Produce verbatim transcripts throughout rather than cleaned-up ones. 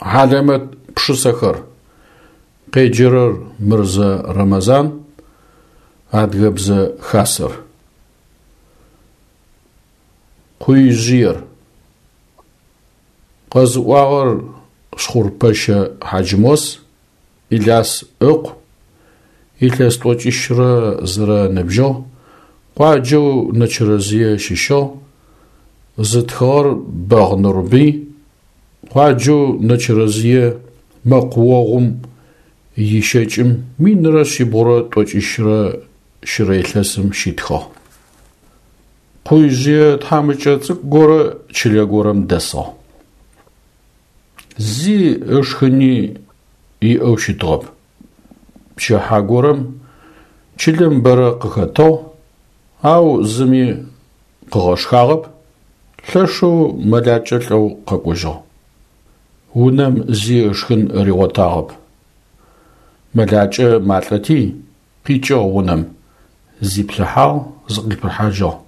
Хьалэмэт пшысэхэр. Къеджэрэр Мырзэ Рэмэзан, Адыгэбзэ Хасэр. Къуижъыер. Къэзыӏуагъэр Шхъурпэщэ Хьаджмос, Иляс ыкъу, илъэс тӏокӏищрэ зырэ ныбжьыгъ, къуаджэу Нэчэрэзые щыщыгъ, зытхыгъэр Бэгъ Нурбый, къуаджэу Нэчэрэзые мэкъуогъум ищэкӏым минрэ шъибгъурэ тӏокӏищрэ щырэ илъэсым щитхыгъ. Къуижъые тхьамыкӏэ цӏыкӏу горэ чылэ горэм дэсыгъ. Зи ышхыни иӏэу щытыгъэп. Пчыхьэ горэм чылэм бэрэ къыхэтыгъ, ау зыми къыгъэшхагъэп, лъэшэу мэлакӏэ лӏэу къэкӏожьыгъ. Унэм зи ышхын ригъотагъэп. Мэлакӏэ малӏэти, къикӏыгъ унэм, зиплъыхьагъ, зыкъипыхьажьыгъ.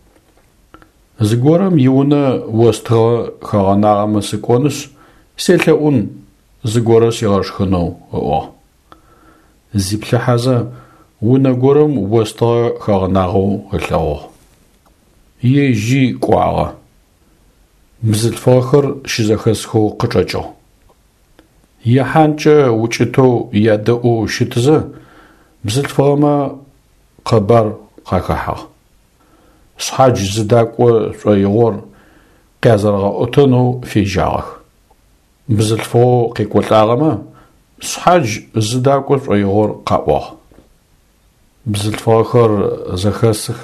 Зыгорэм иунэ остыгъэ хэгъэнагъэмэ сыкӏонышъ, селъэӏун зыгорэ сигъэшхынэу, ыӏуагъ. Зиплъыхьэзэ унэ горэм остыгъэ хэгъэнагъэу ылъэгъугъ. Ежьи кӏуагъэ. Бзылъфыгъэхэр щызэхэсхэу къычӏэкӏыгъ. Ехьанкӏэ укӏытэу ядэӏоу щытызэ, бзылъфыгъэмэ къэбар къахэхьагъ. Шъхьадж зыдакӏо шӏоигъор къязэрэгъэӏотэнэу фежьагъэх. Бзылъфыгъэу къекӏолӏагъэмэ шъхьадж зыдакӏо шӏоигъор къаӏуагъ. Бзылъфыгъэхэр зэхэсых.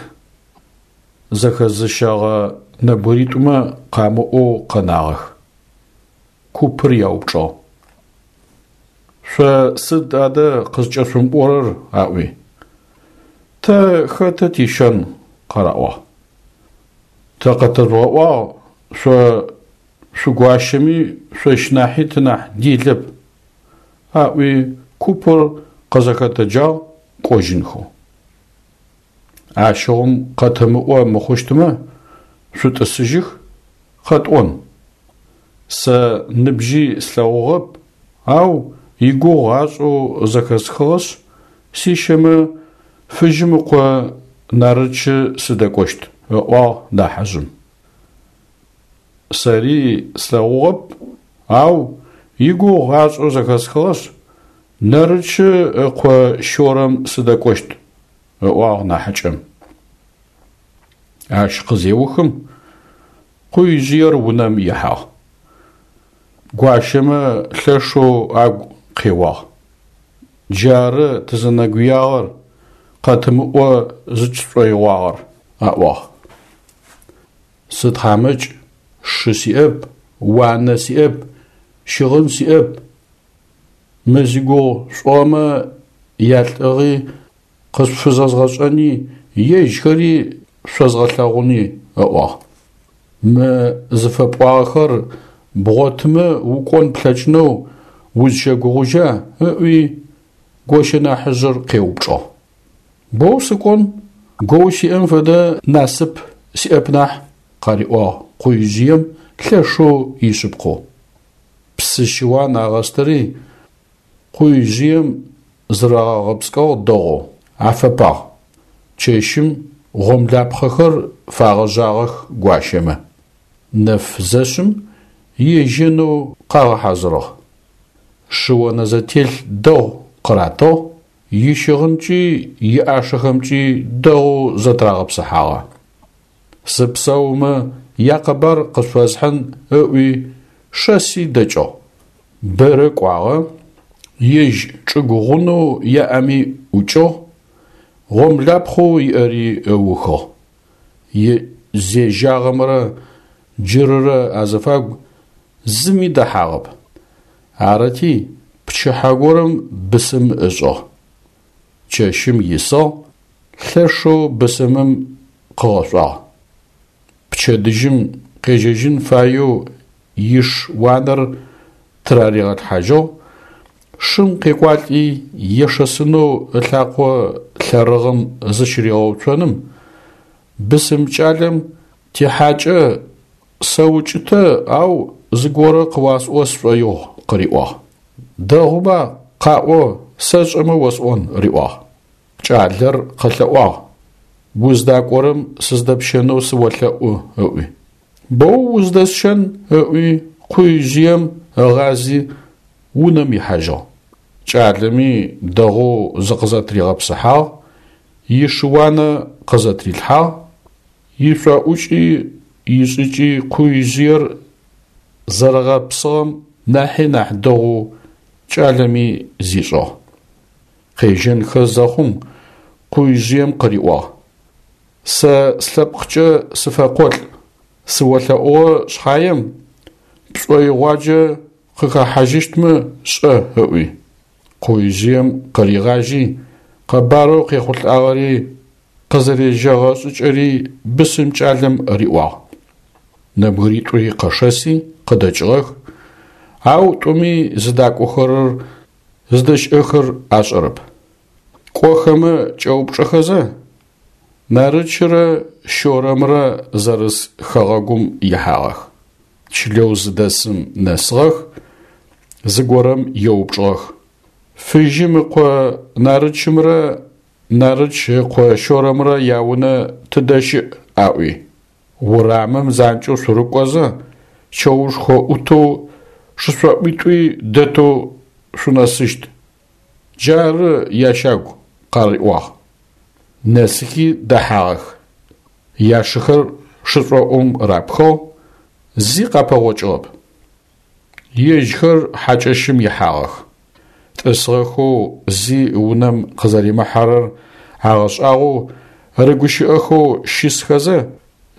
Зэхэзыщэгъэ нэбгыритӏумэ къамыӏоу къэнагъэх. Купыр яупчӏыгъ. Шъо сыд адэ къызкӏэшъумыӏорэр? Аӏуи. Тэ хэтэ тищэн? Къараӏуагъ. Тэ къэтэжъугъэӏуагъ, шъо шъугуащэми шъощ нахьи тынахь делэп. Аӏуи купыр къызэхэтэджагъ кӏожьынхэу. Ащыгъум къэтымыӏо мыхъущтмэ, шъутӏысыжьых, къэтӏон. Сэ ныбжьи слъэгъугъэп, ау игугъу ашӏэу зэхэсхыгъэшъ, сищэмэ Фыжьым ыкъо Нарычы сыдэкӏощт, ыӏуагъ нахьыжъым. Сэри слъэгъугъэп, ау игугъу ашӏэу зэхэсхыгъэшъ, Нарычы ыкъо Щорэм сыдэкӏощт, ыӏуагъ нахьыкӏэм. Ащ къызеухым къуижъыер унэм ихьагъ. Гуащэмэ лъэшэу агу къеуагъ. Джары тызэнэгуягъэр, къэтымыӏо зыкӏышӏоигъуагъэр, аӏуагъ. Сытхьамыкӏ, шы сиӏэп, уанэ сиӏэп, щыгъын сиӏэп. Мы зигугъу шӏыгъэмэ ялӏыгъи къышъуфызэзгъэшӏэни, ежьхэри шъозгъэлъэгъуни, ыӏуагъ. Мы зыфэпӏуагъэхэр бгъотымэ укӏон плъэкӏынэу узщэгугъужьа? Ыӏуи гощэ нахьыжъыр къеупчӏыгъ. Боу сыкӏон, гоу сиӏэм фэдэ насып сиӏэп нахь, къариӏуагъ къуижъыем лъэшэу ишъыпкъэу. Псы щыуан агъэстыри къуижъыем зырагъэгъэпскӏыгъ дэгъоу, афэпагъ. Чэщым гъомлапхъэхэр фагъэжъагъэх гуащэмэ. Нэф зэшъым ежьэнэу къагъэхьазырыгъ. Шыонэзэтелъ дэгъу къыратыгъ, ищыгъынкӏи иӏашэхэмкӏи дэгъоу зэтырагъэпсыхьагъэ. Сыпсэумэ якъэбар къышъуфэсхьын ыӏуи шэси дэкӏыгъ. Бэрэ кӏуагъэ, ежь чӏыгу гъунэу яӏэми ӏукӏыгъ, гъомлапхъэу иӏэри ыухыгъ. Зежьагъэмрэ джырырэ азыфагу зыми дэхьагъэп. Арыти, пчыхьэ горэм бысым ышӏыгъ. Чэщым исыгъ, лъэшэу бысымым къыгъэшӏуагъ. Пчэдыжьым къежьэжьын фаеу иш уанэр тыраригъэлъхьажьыгъ, шым къекӏуалӏи ешэсынэу ылъакъо лъэрыгъым зыщыригъэуцоным, бысым кӏалэм тихьакӏэ сэукӏытэ, ау зыгорэ къыуасӏо сшӏоигъу, къыриӏуагъ. Дэгъуба, къаӏо, сэшӏэмэ осӏон, риӏуагъ. Кӏалэр къэлъэӏуагъ: Уздакӏорэм сыздэпщэнэу сыолъэӏу, ыӏуи. Боу уздэсщэн, ыӏуи, къуижъыем ыгъази унэм ихьажьыгъ. Кӏалэми дэгъоу зыкъызэтыригъэпсыхьагъ, ишыуанэ къызэтырилъхьагъ, ишъуаӏукӏи ишӏыкӏи къуижъыер зэрэгъэпсыгъэм нахьи нахь дэгъоу кӏалэми зишӏыгъ. Къежьэнхэ зэхъум къуижъыем къыриӏуагъ: Сэ слъэпкъкӏэ сыфэкъолӏ, сыолъэӏугъэ шъхьаем, пшӏоигъуаджэ къыхэхьажьыщтмэ шӏэ, ыӏуи. Къуижъыем къыригъажьи, къэбарэу къехъулӏагъэри къызэрежьэгъэ шӏыкӏэри бысым кӏалэм риӏуагъ. Нэбгыритӏури къэшэси къыдэкӏыгъэх, ау тӏуми зыдакӏохэрэр зыдэщыӏэхэр ашӏэрэп. Кӏохэмэ кӏэупчӏэхэзэ, Нарычрэ Щорэмрэ зэрыс хэгъэгум ихьагъэх. Чылэу зыдэсым нэсыгъэх, зыгорэм еупчӏыгъэх: Фыжьым ыкъо Нарычымрэ Нарыч ыкъо Щорэмрэ яунэ тыдэ щыӏ? Аӏуи. Урамым занкӏэу шъурыкӏозэ, чэушхо ӏутэу шышӏоӏуитӏуи дэтэу шъунэсыщт. Джары ящагу, къариӏуагъ. Нэсыхи дэхьагъэх. Яшыхэр шышӏоӏум рапхыгъ, зи къапэгъокӏыгъэп. Ежьхэр хьакӏэщым ихьагъэх. Тӏысыгъэхэу зи унэм къызэримыхьэрэр агъэшӏагъоу рыгущыӏэхэу щысхэзэ,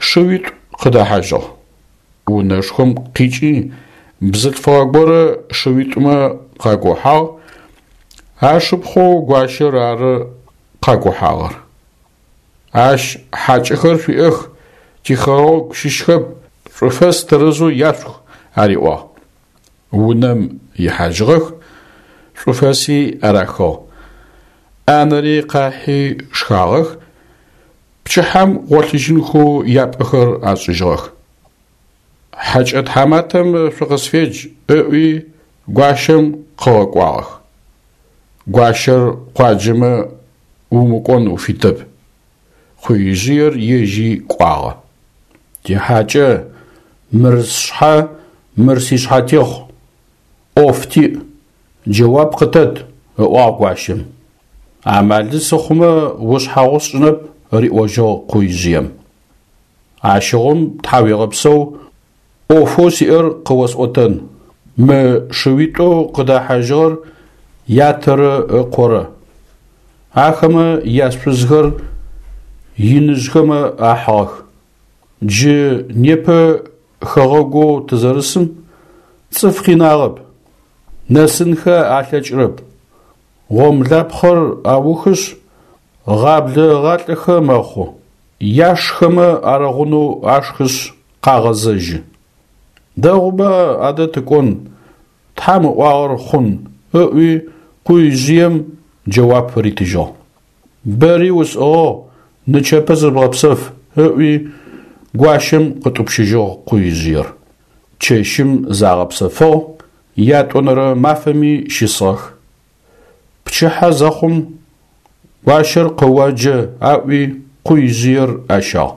шыуитӏу къыдэхьажьыгъ. Унэшхом къикӏи бзылъфыгъэ горэ шыуитӏумэ къагохьагъ, ашыпхъоу гуащэр ары къагохьагъэр. Ащ хьакӏэхэр шъуиӏэх, тихэгъэгу щыщхэп, шӏуфэс тэрэзэу яшъух, ариӏуагъ. Унэм ихьажьыгъэх, шӏуфэси арахыгъ. Ӏанэри къахьи шхагъэх, пчыхьэм гъолъыжьынхэу япӏэхэр ашӏыжьыгъэх. Хьакӏэ тхьаматэм шъукъысфедж, ыӏуи гуащэм къыгъэкӏуагъэх. Гуащэр къуаджэмэ умыкӏон уфитэп. Къуижъыер ежьи кӏуагъэ. Тихьакӏэ, мыр сшъхьэ, мыр сишъхьэтехъу. ӏоф тиӏ, джэуап къытэт, ыӏуагъ гуащэм. Амалы сыхъумэ ушъхьагъу сшӏынэп, риӏожьыгъ къуижъыем. Ащыгъум тхьауегъэпсэу, ӏофэу сиӏэр къыосӏотэн. Мы шыуитӏоу къыдэхьажьыгъэр ятэрэ ыкъорэ. Ахэмэ яшъузхэр иныжъхэмэ ахьыгъэх. Джы непэ хэгъэгоу тызэрысым цӏыф къинагъэп, нэсынхэ алъэкӏырэп. Гъомлапхъэр аухышъ, гъаблэ ыгъалӏэхэ мэхъу. Яшхэмэ арэгъунэу ашхышъ къагъэзэжьы. Дэгъуба адэ тыкӏон, Тхьам ыӏуагъэр хъун, ыӏуи къуижъыем джэуап ритыжьыгъ. Бэри усӏыгъыгъ, нычэпэ зыбгъэпсэф, ыӏуи гуащэм къытӏупщыжьыгъ къуижъыер. Чэщым загъэпсэфыгъ, ятӏонэрэ мафэми щысыгъэх. Пчыхьэ зэхъум гуащэр къыоджэ аӏуи къуижъыер ащагъ.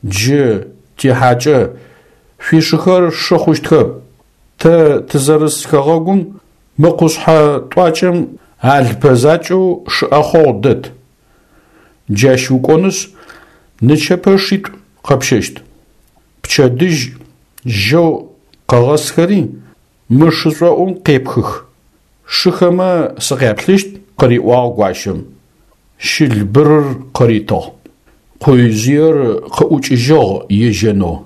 Джы, тихьакӏэ, шъуишыхэр шы хъущтхэп. Тэ тызэрыс хэгъэгум мы къушъхьэ тӏуакӏэм алпэ закӏэу шы ӏэхъогъу дэт. Джащ укӏонышъ, нычэпэ шитӏу къэпщэщт. Пчэдыжь жьэу къэгъэсхэри мы шышӏоӏум къепхых. Шыхэмэ сыкъяплъыщт, къыриӏуагъ гуащэм. Щылбырыр къыритыгъ. Къуижъыер къыӏукӏыжьыгъ ежьэнэу.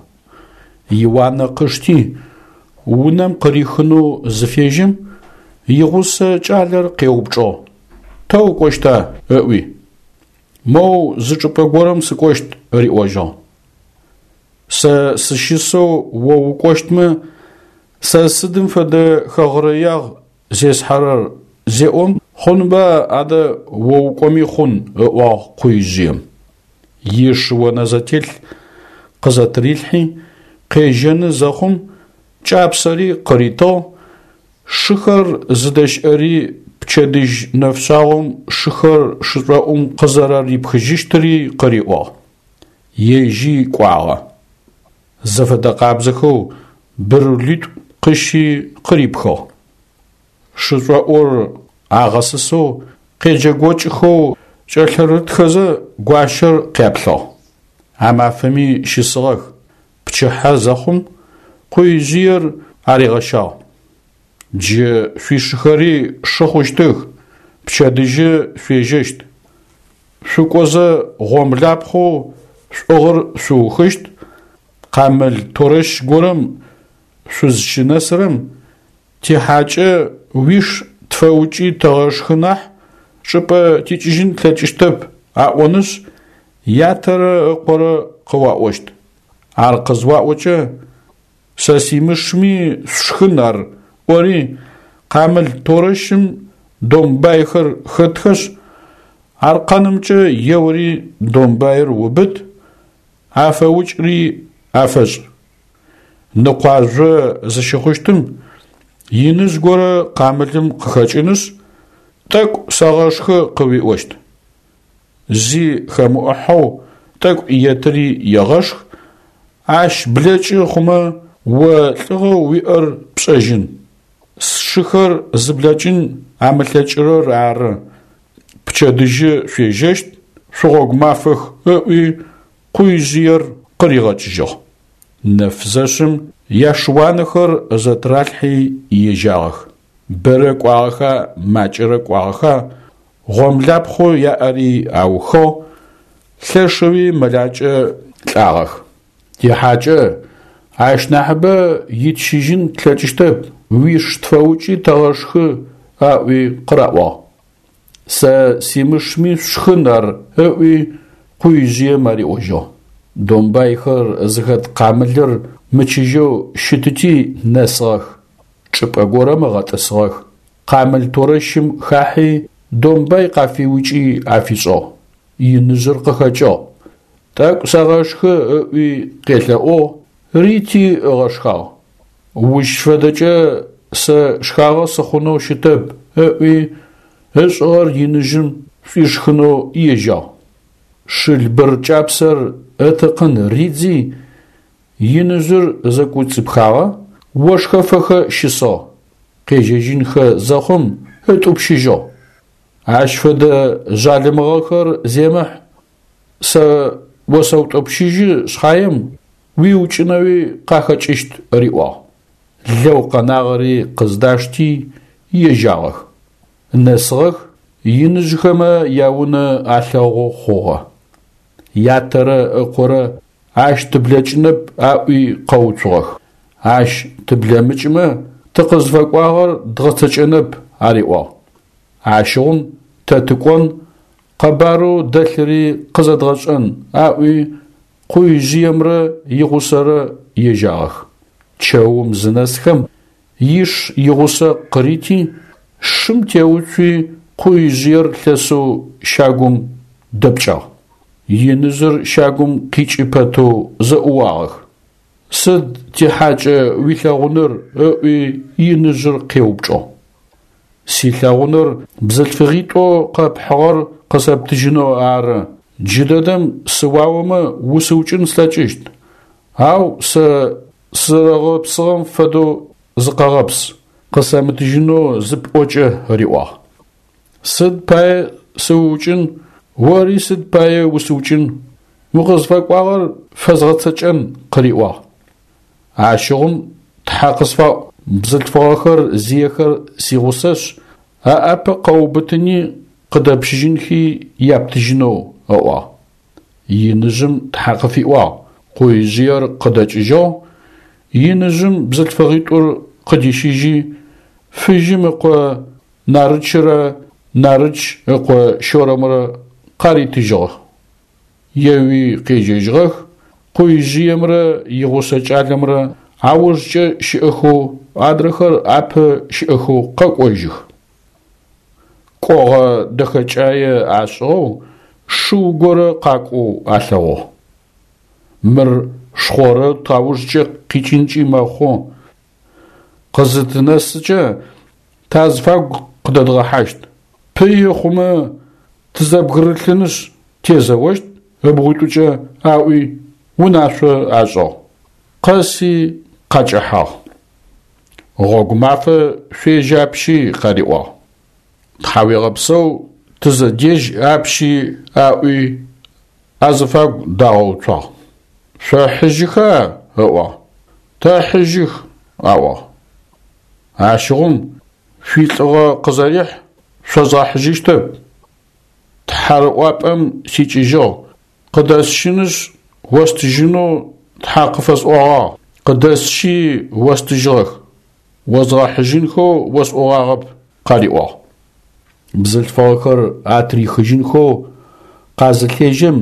Иуанэ къышти, унэм къырихынэу зыфежьэм, игъусэ кӏалэр къеупчӏыгъ: Тэ укӏощта? Ыӏуи. Моу зы чӏыпӏэ горэм сыкӏощт, риӏожьыгъ. Сэ сыщысэу о укӏощтмэ, сэ сыдым фэдэ хэгърэягъ зесхьэрэр зеӏом, хъунба адэ о укӏоми хъун, ыӏуагъ къуижъыем. Ишыонэзэтелъ къызэтырилъхьи, къежьэны зэхъум, Кӏапсэри къыритыгъ, шыхэр зыдэщыӏэри пчэдыжь нэфшъагъом шыхэр шышӏоӏум къызэрэрипхыжьыщтыри къыриӏуагъ. Ежьи кӏуагъэ. Зэфэдэ къабзэхэу брулитӏу къыщи къырипхыгъ. Шышӏоӏур агъэсысэу къеджэгокӏхэу кӏэлъырытхэзэ гуащэр къяплъыгъ. А мафэми щысыгъэх. Пчыхьэ зэхъум къуижъыер аригъэщагъ. Джы шъуишыхэри шы хъущтых, пчэдыжьы шъуежьэщт. Шъукӏозэ гъомлапхъэу шъуӏыгъыр шъуухыщт, къамыл торэщ горэм шъузщынэсырэм тихьакӏэ уиш тфэукӏи тыгъэшхы нахь чӏыпӏэ тикӏыжьын тлъэкӏыщтэп аӏонышъ, ятэрэ ыкъорэ къыуаӏощт. Ар къызуаӏокӏэ, сэ симышми шъушхын ар ӏори, къамыл торэщым домбайхэр хэтхэшъ, аркъэнымкӏэ еури домбаир убыт, афэукӏри афэшӏ. Ныкъуажъо зыщыхъущтым иныжъ горэ къамылым къыхэкӏынышъ, тӏэкӏу сэгъэшхы къыуиӏощт. Зи хэмыӏухьэу тӏэкӏу етыри егъэшх, ащ блэкӏы хъумэ о лӏыгъэу уиӏэр пшӏэжьын. Сшыхэр зыблэкӏын амылъэкӏырэр ары. Пчэдыжьы шъуежьэщт, шъугъогу мафэх ыӏуи къуижъыер къыригъэкӏыжьыгъ. Нэф зэшъым яшыуанэхэр зэтыралъхьи ежьагъэх. Бэрэ кӏуагъэха, макӏэрэ кӏуагъэха, гъомлапхъэу яӏэри аухыгъ, лъэшэуи мэлакӏэ лӏагъэх. Тихьакӏэ, ащ нахьыбэ итщыжьын тлъэкӏыщтэп, уиш тфэукӏи тыгъэшхы аӏуи къыраӏуагъ. Сэ симышми шъушхын ар ыӏуи къуижъыем ариӏожьыгъ. Домбайхэр зыхэт къамылыр мычыжьэу щытыти нэсыгъэх. Чӏыпӏэ горэм ыгъэтӏысыгъэх. Къамыл торэщым хахьи домбай къафиукӏи афишӏыгъ. Иныжъыр къыхэкӏыгъ. Тӏэкӏу сэгъэшхы ыӏуи къелъэӏугъ, рити ыгъэшхагъ. Ущ фэдэкӏэ сэ шхагъэ сыхъунэу щытэп ыӏуи ышӏыгъэр иныжъым шӏуишхынэу ежьагъ. Шылбыр кӏапсэр ытыкъын ридзи, иныжъыр зэкӏоцӏипхагъэ, ошхэфэхэ щысыгъ. Къежьэжьынхэ зэхъум ытӏупщыжьыгъ. Ащ фэдэ жъалымыгъэхэр земыхь, сэ осэутӏупщыжьы шъхьаем уиукӏынэуи къахэкӏыщт риӏуагъ. Лэу къэнагъэри къыздашти ежьагъэх. Нэсыгъэх, иныжъхэмэ яунэ алъэгъу хъугъэ. Ятэрэ ыкъорэ ащ тыблэкӏынэп аӏуи къэуцугъэх. Ащ тыблэмыкӏымэ тыкъызфэкӏуагъэр дгъэцэкӏэнэп ариӏуагъ. Ащыгъум тэ тыкӏон, къэбарэу дэлъыри къызэдгъэшӏэн аӏуи къуижъыемрэ игъусэрэ ежьагъэх. Чэум зынэсхэм иш игъусэ къырити, шым теуцуи къуижъыер лъэсэу щагум дэпкӏагъ. Иныжъыр щагум къикӏы пэтэу зэӏууагъэх. Сыд тихьакӏэ уилъэгъуныр ыӏуи иныжъыр къеупчӏыгъ. Силъэгъуныр бзылъфыгъитӏоу къэпхьыгъэр къысэптыжьынэу ары. Джыдэдэм сыуаомэ усыукӏын слъэкӏыщт, ау сэ сызэрэгъэпсыгъэм фэдэу зыкъэгъэпс, къысэмытыжьынэу зыпӏокӏэ риӏуагъ. Сыд пае сыуукӏын, ори сыд пае усыукӏын, укъызфэкӏуагъэр фэзгъэцэкӏэн къыриӏуагъ. Ащыгъум тхьэ къысфаӏу, бзылъфыгъэхэр зиехэр сигъусэшъ, аӏапэ къэуубытыни къыдэпщыжьынхи яптыжьынэу ыӏуагъ. Иныжъым тхьэ къыфиӏуагъ, къуижъыер къыдэкӏыжьыгъ, иныжъым бзылъфыгъитӏур къыдищыжьи, Фыжьым ыкъо Нарычрэ Нарыч ыкъо Щорэмрэ къаритыжьыгъэх. Еуи къежьэжьыгъэх, къуижъыемрэ игъусэ кӏалэмрэ аужкӏэ щыӏэхэу, адрэхэр апэ щыӏэхэу къэкӏожьых. Кӏогъэ дэхэкӏае ашӏыгъэу шыу горэ къакӏоу алъэгъугъ. Мыр шхъорэ таужкӏэ къикӏынкӏи мэхъу, Къызытынэсыкӏэ тазыфагу къыдэдгъэхьащт. Пыи хъумэ тызэбгырылъынышъ тезэощт ыбгъуитӏукӏэ аӏуи унашъо ашӏыгъ. Къэси къакӏэхьагъ. Гъогу мафэ шъуежь апщи къариӏуагъ. Тхьауегъэпсэу тызэдежь апщи аӏуи азыфагу дагъэуцуагъ. Шъохьыжьыха? Ыӏуагъ. Тэхьыжьых, аӏуагъ. Ащыгъум шъуилӏыгъэ къызэрихь шъозгъэхьыжьыщтэп. Тхьэрыӏуапӏэм сикӏыжьыгъ, къыдэсщынышъ остыжьынэу Тхьэ къыфэсӏогъагъ, къыдэсщи остыжьыгъэх. Озгъэхьыжьынхэу осӏогъагъэп, къариӏуагъ. Бзылъфыгъэхэр атрихыжьынхэу къазылъежьэм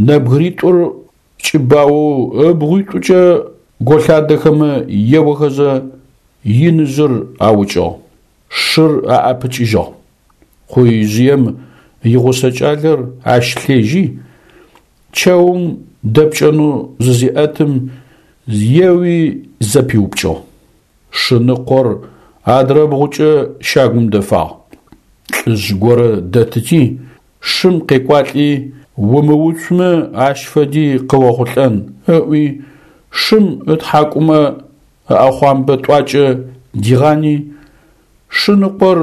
нэбгыритӏур кӏыбаоу ыбгъуитӏукӏэ голъадэхэмэ еохэзэ иныжъыр аукӏыгъ, шыр аӏэпыкӏыжьыгъ. Къуижъыем игъусэ кӏалэр ащ лъежьи, чэум дэпкӏэнэу зызеӏэтым еуи зэпиупкӏыгъ. Шыныкъор адрэбгъукӏэ щагум дэфагъ. Лӏыжъ горэ дэтыти, шым къекӏуалӏи, умыуцумэ ащ фэди къыохъулӏэн ыӏуи, шым ытхьакӏумэ ыӏэхъуамбэ тӏуакӏэ дигъани, шыныкъор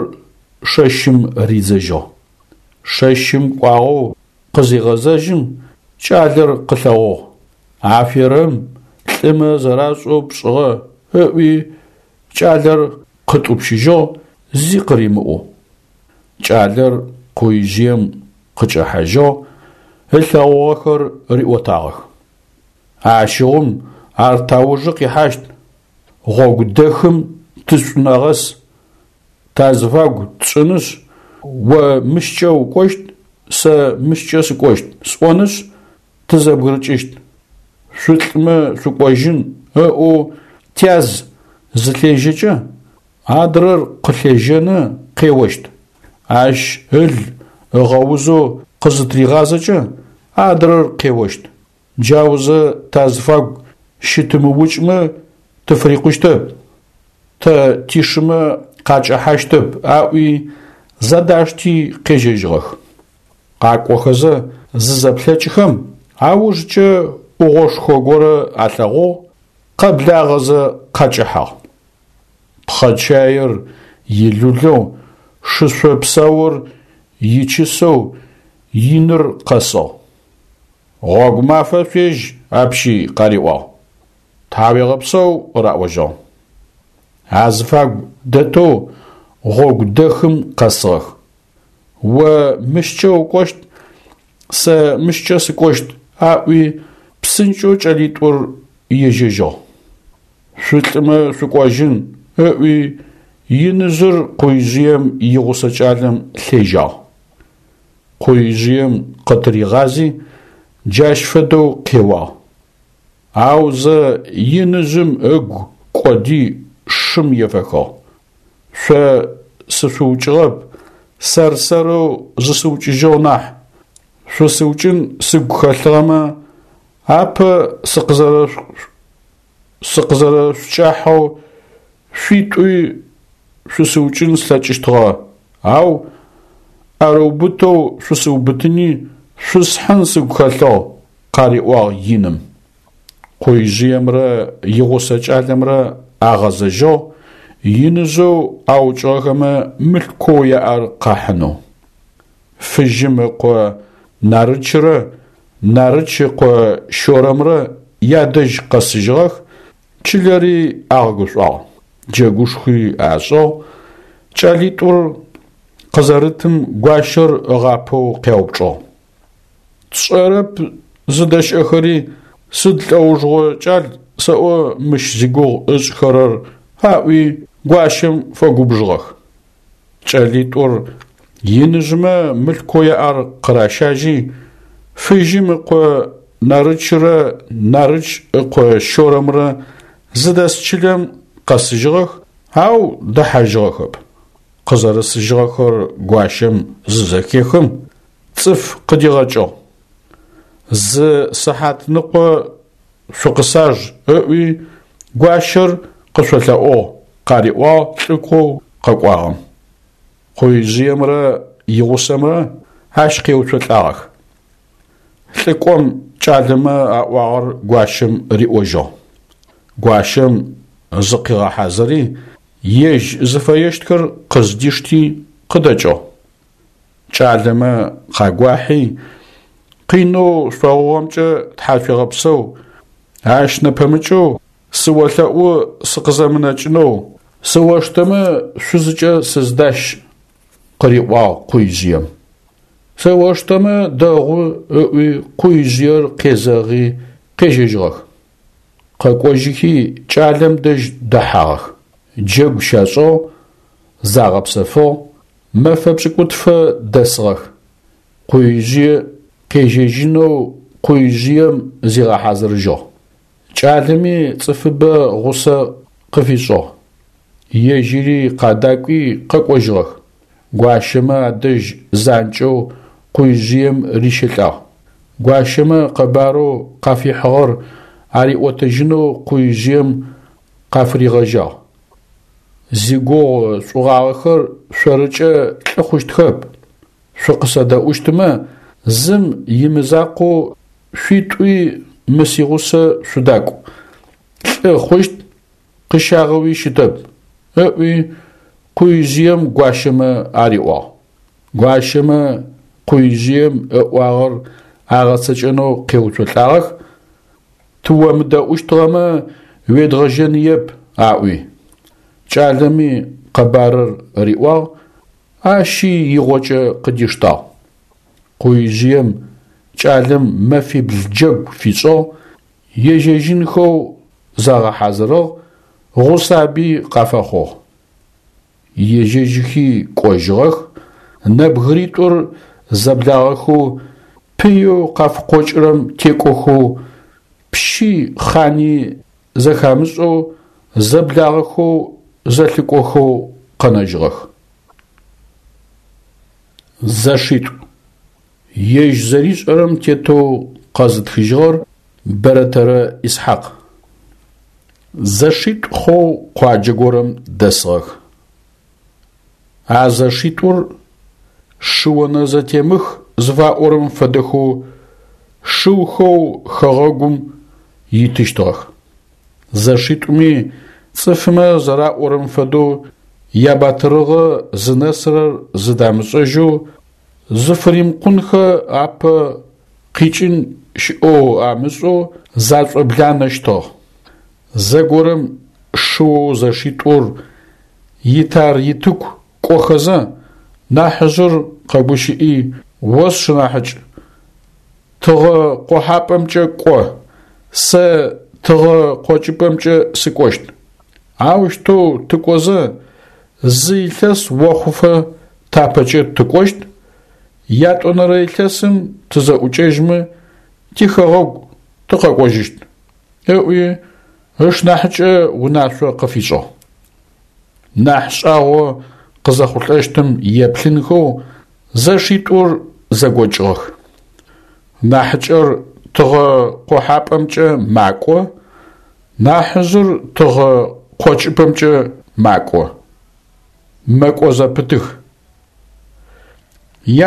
шэщым ридзэжьыгъ. Шэщым кӏуагъэу къызегъэзэжьым, кӏалэр къылъэгъугъ. Аферэм лӏымэ зэрашӏэу пшӏыгъэ ыӏуи, кӏалэр къытӏупщыжьыгъ, зи къыримыӏоу. Кӏалэр къуижъыем къыкӏэхьажьыгъ, ылъэгъугъэхэр риӏотагъэх. Ащыгъум ар таужы къихьащт, гъогу дэхым тышӏунэгъэс, тазыфагу тшӏынышъ, о мыщкӏэ укӏощт, сэ мыщкӏэ сыкӏощт сӏонышъ, тызэбгырыкӏыщт. Шъулӏмэ шъукӏожьын ыӏоу тяз зылъежьэкӏэ, адрэр къылъежьэны къеощт. Ащ ыл ыгъэузэу къызытригъазэкӏэ, адрэр къеощт. Джаузэ тазыфагу щытымыукӏмэ тыфырикъущтэп, тэ тишымэ къакӏэхьащтэп аӏуи зэдашти къежьэжьыгъэх. Къакӏохэзэ зызэплъэкӏхэм, аужкӏэ ӏугъошхо горэ алъэгъугъ, къэблагъэзэ къакӏэхьагъ. Пхъэчаир илулэу, шышъо псаур ичысэу иныр къэсыгъ. Гъогу мафэ шъуежь апщи къариӏуагъ. Тхьауегъэпсэу раӏожьыгъ. Азыфагу дэтэу гъогу дэхым къэсыгъэх. О мыщкӏэ укӏощт, сэ мыщкӏэ сыкӏощт аӏуи псынкӏэу кӏэлитӏур ежьэжьыгъ. Шъулӏымэ шъукӏожьын ыӏуи иныжъыр къуижъыем игъусэ кӏалэм лъежьагъ. Къуижъыем къытыригъази, джащ фэдэу къеуагъ. Аузэ иныжъым ыгу кӏоди шым ефэхыгъ. Шъо сышъуукӏыгъэп, сэр-сэрэу зысыукӏыжьыгъ нахь. Шъусыукӏын сыгу хэлъыгъэмэ, апэ сыкъызэрэшъукӏахьэу шъуитӏуи шъусыукӏын слъэкӏыщтыгъэ, ау ӏэрыубытэу шъусыубытыни шъусхьын сыгу хэлъыгъ, къариӏуагъ иным. Къуижъыемрэ игъусэ кӏалэмрэ агъэзэжьыгъ, иныжъэу аукӏыгъэхэмэ мылъкоу яӏэр къахьынэу. Фыжьым ыкъо Нарычрэ Нарыч ыкъо Щорэмрэ ядэжь къэсыжьыгъэх, чылэри агъэгушӏуагъ, джэгушхуи ашӏыгъ, кӏэлитӏур къызэрытым гуащэр ыгъапэу къяупчӏыгъ. Тшӏэрэп зыдэщыӏэхэри, сыд лӏэужыгъо кӏал сэӏо мыщ зигугъу ышӏхэрэр аӏуи гуащэм фэгубжыгъэх. Кӏэлитӏур иныжъмэ мылъкоу яӏэр къыращажьи, Фыжьым ыкъо Нарычрэ Нарыч ыкъо Щорэмрэ зыдэс чылэм къэсыжьыгъэх, ау дэхьажьыгъэхэп. Къызэрысыжьыгъэхэр гуащэм зызэхехым, цӏыф къыдигъэкӏыгъ. Зы сыхьатныкъо шъукъысаж ыӏуи гуащэр къышъолъэӏугъ, къариӏуагъ лӏыкӏоу къэкӏуагъэм. Къуижъыемрэ игъусэмрэ ащ къеуцолӏагъэх. Лӏыкӏом кӏалэмэ аӏуагъэр гуащэм риӏожьыгъ. Гуащэм зыкъигъэхьазыри, ежь зыфэещтхэр къыздишти къыдэкӏыгъ. Кӏалэмэ къагуахьи, къинэу шъогъугъэмкӏэ тхьашъуегъэпсэу, ащ нэпэмыкӏэу сыолъэӏу сыкъызэмынэкӏынэу, сыоштэмэ шъузыкӏэ сыздащ, къыриӏуагъ Къуижъыем. Сыоштэмэ дэгъу ыӏуи Къуижъыер къезэгъи къежьэжьыгъэх. Къэкӏожьыхи кӏалэм дэжь дэхьагъэх. Джэгу щашӏыгъ, загъэпсэфыгъ, мэфэ пшӏыкӏутфэ дэсыгъэх. Къуижъые къежьэжьынэу Къуижъыем зигъэхьазырыжьыгъ. Кӏалэми цӏыфыбэ гъусэ къыфишӏыгъ. Ежьыри къадакӏуи къэкӏожьыгъэх. Гуащэмэ адэжь занкӏэу Къуижъыем рищэлӏагъ. Гуащэмэ къэбарэу къафихьыгъэр ариӏотэжьынэу Къуижъыем къафыригъэжьагъ. Зигугъу шӏугъагъэхэр шъорыкӏэ лӏы хъущтхэп. Шъукъысэдэӏущтмэ, зым имызакъоу шъуитӏуи мы сигъусэ шъудакӏу. Лӏы хъущт, къыщагъэуи щытэп, ыӏуи Къуижъыем гуащэмэ ариӏуагъ. Гуащэмэ Къуижъыем ыӏуагъэр агъэцэкӏэнэу къеуцолӏагъэх, тыомыдэӏущтыгъэмэ уедгъэжьэныеп, аӏуи. Кӏалэми къэбарыр риӏуагъ, ащи игъокӏэ къыдиштагъ. Къуижъыем кӏалэм мэфибл джэгу фишӏыгъ, ежьэжьынхэу загъэхьазырыгъ, гъусаби къафэхъугъ. Ежьэжьыхи кӏожьыгъэх, нэбгыритӏур зэблагъэхэу пыеу къафыкъокӏырэм текӏохэу пщи хъани зэхамышӏэу зэблагъэхэу зэлъыкӏохэу къэнэжьыгъэх. Зэшитӏу. Ежь зэришӏэрэм тетэу къэзытхыжьыгъэр Бэрэтэрэ Исхьакъ. Зэшитӏу хъоу къуаджэ горэм дэсыгъэх. А зэшитӏур шыонэзэтемых зыфаӏорэм фэдэхэу шыухэу хэгъэгум итыщтыгъэх. Зэшитӏуми цӏыфмэ зэраӏорэм фэдэу ябатырыгъэ зынэсырэр зыдамышӏэжьэу зыфыримыкъунхэ апэ къикӏын щыӏэу амышӏэу зашӏобланэщтыгъ. Зэгорэм шыоу зэшитӏур итар-итыку кӏохэзэ, нахьыжъыр къэгущыӏи: «О сшынахьыкӏ, тыгъэ къохьапӏэмкӏэ кӏо, сэ тыгъэ къокӏыпӏэмкӏэ сыкӏощт. Аущтэу тыкӏозэ зы илъэс охъуфэ тапэкӏэ тыкӏощт, ятӏонэрэ илъэсым тызэӏукӏэжьмэ тихэгъэгу тыкъэкӏожьыщт», ыӏуи ышнахьыкӏэ унашъо къыфишӏыгъ. Нахь шӏагъо къызэхъулӏэщтым еплъынхэу зэшитӏур зэгокӏыгъэх. Нахьыкӏэр тыгъэ къохьапӏэмкӏэ макӏо, нахьыжъыр тыгъэ къокӏыпӏэмкӏэ макӏо. Мэкӏо зэпытых.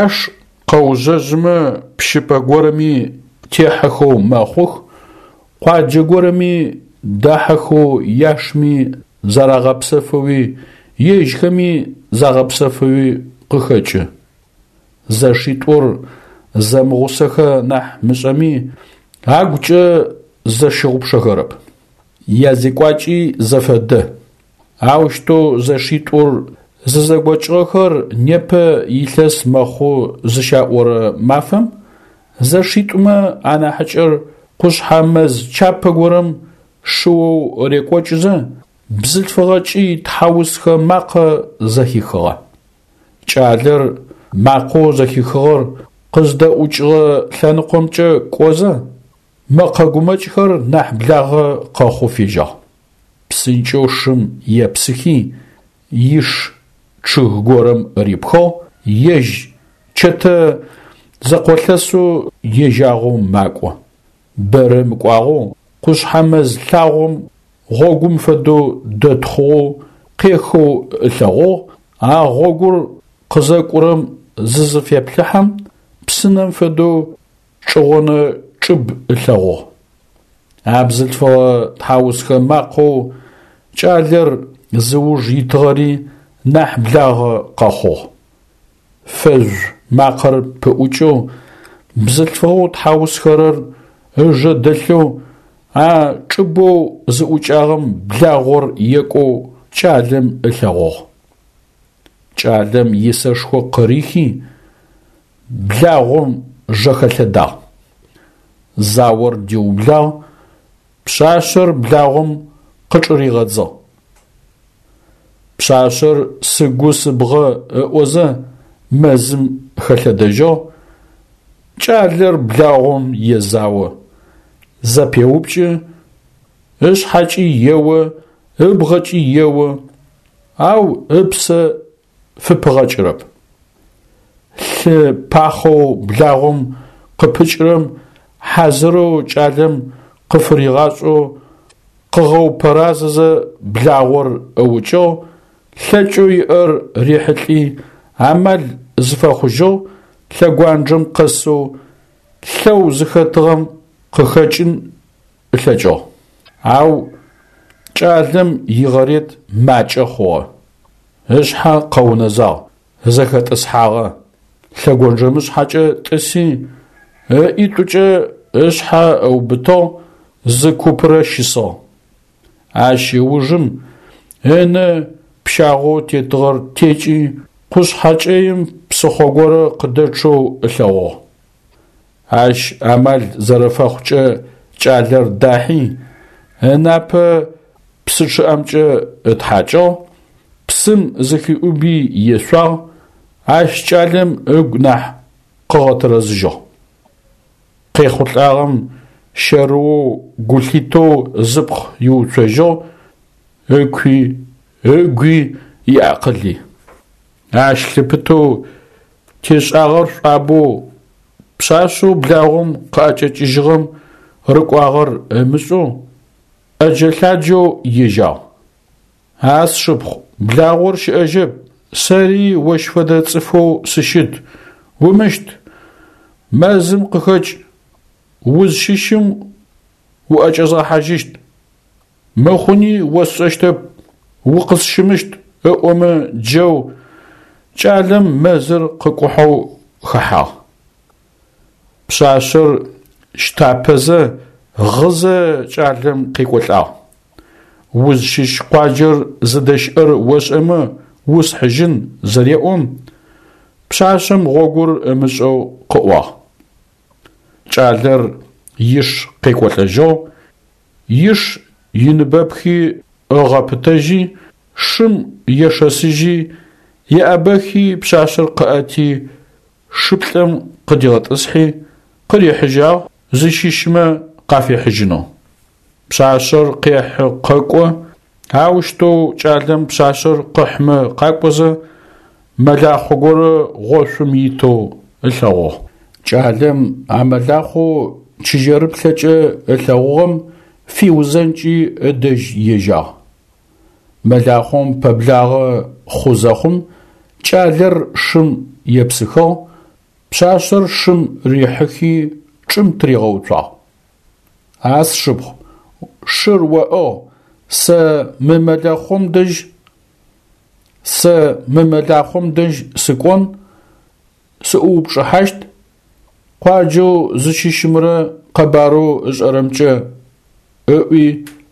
Яш къэужъэжъымэ пщыпӏэ горэми техьэхэу мэхъух, къуаджэ горэми дахьэхэу яшми зарагъэпсэфэуи ежьхэми загъэпсэфэуи къыхэкӏы. Зэшитӏур зэмыгъусэхэ нахь мышӏэми, агукӏэ зэщыгъупшэхэрэп. Язекӏуакӏи зэфэдэ. Аущтэу зэшитӏур зызэгокӏыгъэхэр непэ илъэс мэхъу зыщаӏорэ мафэм зэшитӏумэ анахьыкӏэр къушъхьэ мэз чапэ горэм шыоу рекӏокӏызэ, бзылъфыгъэ кӏый тхьаусхэ макъэ зэхихыгъэ. Кӏалэр макъэу зэхихыгъэр къыздэӏукӏыгъэ лъэныкъомкӏэ кӏозэ, мэкъэ гумэкӏхэр нахь благъэ къэхъу фежьагъ. Псынкӏэу шым епсыхи, иш чъыг горэм рипхыгъ, ежь чэтэ зэкъолъэсэу ежьагъэу макӏо. Бэрэ мыкӏуагъэу къушъхьэ мэз лъагъом гъогум фэдэу дэтхъугъэу къехэу ылъэгъугъ, а гъогур къызэкӏурэм зызыфеплъыхьэм, псынэм фэдэу чӏыгъонэ чӏыб ылъэгъугъ. А бзылъфыгъэ тхьаусхэ макъэу кӏалэр зыуж итыгъэри нахь благъэ къэхъугъ. Фэжъу макъэр пыӏукӏэу, бзылъфыгъэу тхьаусхэрэр ыжэ дэлъэу, а чӏыбэу зыӏукӏагъэм благъор екӏоу кӏалэм ылъэгъугъ. Кӏалэм исэшхо къырихи, благъом жэхэлъэдагъ. Заор диублагъ, пшъашъэр благъом къычӏыригъэдзыгъ. Пшъашъэр сыгу сыбгъэ ыӏозэ мэзым хэлъэдэжьыгъ, кӏалэр благъом езао, зэпеупкӏы, ышъхьэкӏи ео, ыбгъэкӏи ео, ау ыпсэ фыпыгъэкӏырэп. Лъы пахъэу благъом къыпыкӏырэм хьазырэу кӏалэм къыфыригъашӏэу къыгъэупэразэзэ благъор ыукӏыгъ, лъэкӏэу иӏэр рихьылӏи амал зыфэхъужьыгъ, лъэгуанджэм къэсэу лъэу зыхэтыгъэм къыхэкӏын ылъэкӏыгъ. Ау кӏалэм игъэрет макӏэ хъугъэ. Ышъхьэ къэунэзагъ, зэхэтӏысхьагъэ. Лъэгонджэмышъхьэкӏэ тӏыси, ыӏитӏукӏэ ышъхьэ ыубытыгъ, зы купрэ щысыгъ. Ащ ыужым ынэ пщагъоу тетыгъэр текӏи, къушъхьэ кӏэим псыхъо горэ къыдэчъэу ылъэгъугъ. Ащ амал зэрэфэхъукӏэ кӏалэр дахьи, ынапэ псы чъыӏэмкӏэ ытхьакӏыгъ, псым зыхиӏуби ешъуагъ, ащ кӏалэм ыгу нахь къыгъэтэрэзыжьыгъ. Къехъулӏагъэм щэрыоу гу лъитэу зыпкъ иуцожьыгъ, ыкуи, ыгуи, иакъыли. Ащ лъыпытэу тешӏагъэр шӏуабэу пшъашъэу благъом къыӏэкӏэкӏыжьыгъэм рыкӏуагъэр ымышӏэу, ӏэджэ-лъаджэу ежьагъ. А сшыпхъу, благъор щыӏэжьэп, сэри ощ фэдэ цӏыфэу сыщыт, умыщт, мэзым къыхэкӏ, узщыщым уӏэкӏэзгъэхьажьыщт. Мыхъуни осшӏэщтэп, укъысщымыщт ыӏомэ джэу кӏалэм мэзыр къыкӏухьэу хэхьагъ. Пшъашъэр щтапэзэ, гъызэ кӏалэм къекӏолӏагъ. Узщыщ къуаджэр зыдэщыӏэр ошӏэмэ усхьыжьын зэреӏом, пшъашъэм гъогур ымышӏэу къыӏуагъ. Кӏалэр иш къекӏолӏэжьыгъ, иш иныбэпхи ыгъэпытэжьи, шым ешэсыжьи, еӏэбэхи пшъашъэр къыӏэти, шыплӏэм къыдигъэтӏысхьи, къырихьыжьагъ зыщыщмэ къафихьыжьынэу. Пшъашъэр къехьы къэкӏо, аущтэу кӏалэм пшъашъэр къыхьмэ къакӏозэ, мэлахъо горэ гъошъум итэу ылъэгъугъ. Кӏалэм а мэлахъоу чыжьэрыплъэкӏэ ылъэгъугъэм фиузэнкӏи ыдэжь ежьагъ. Мэлахъом пэблагъэ хъу зэхъум, кӏалэр шым епсыхыгъ, пшъашъэр шым рихьыхи чӏым тыригъэуцуагъ. А сшыпхъу, шыр оӏыгъ, сэ мы мэлахъом дэжь сэ мы мэлахъом дэжь сыкӏон, сыӏуупчӏыхьащт, къуаджэу зыщыщымрэ къэбарэу ышӏэрэмкӏэ ыӏуи,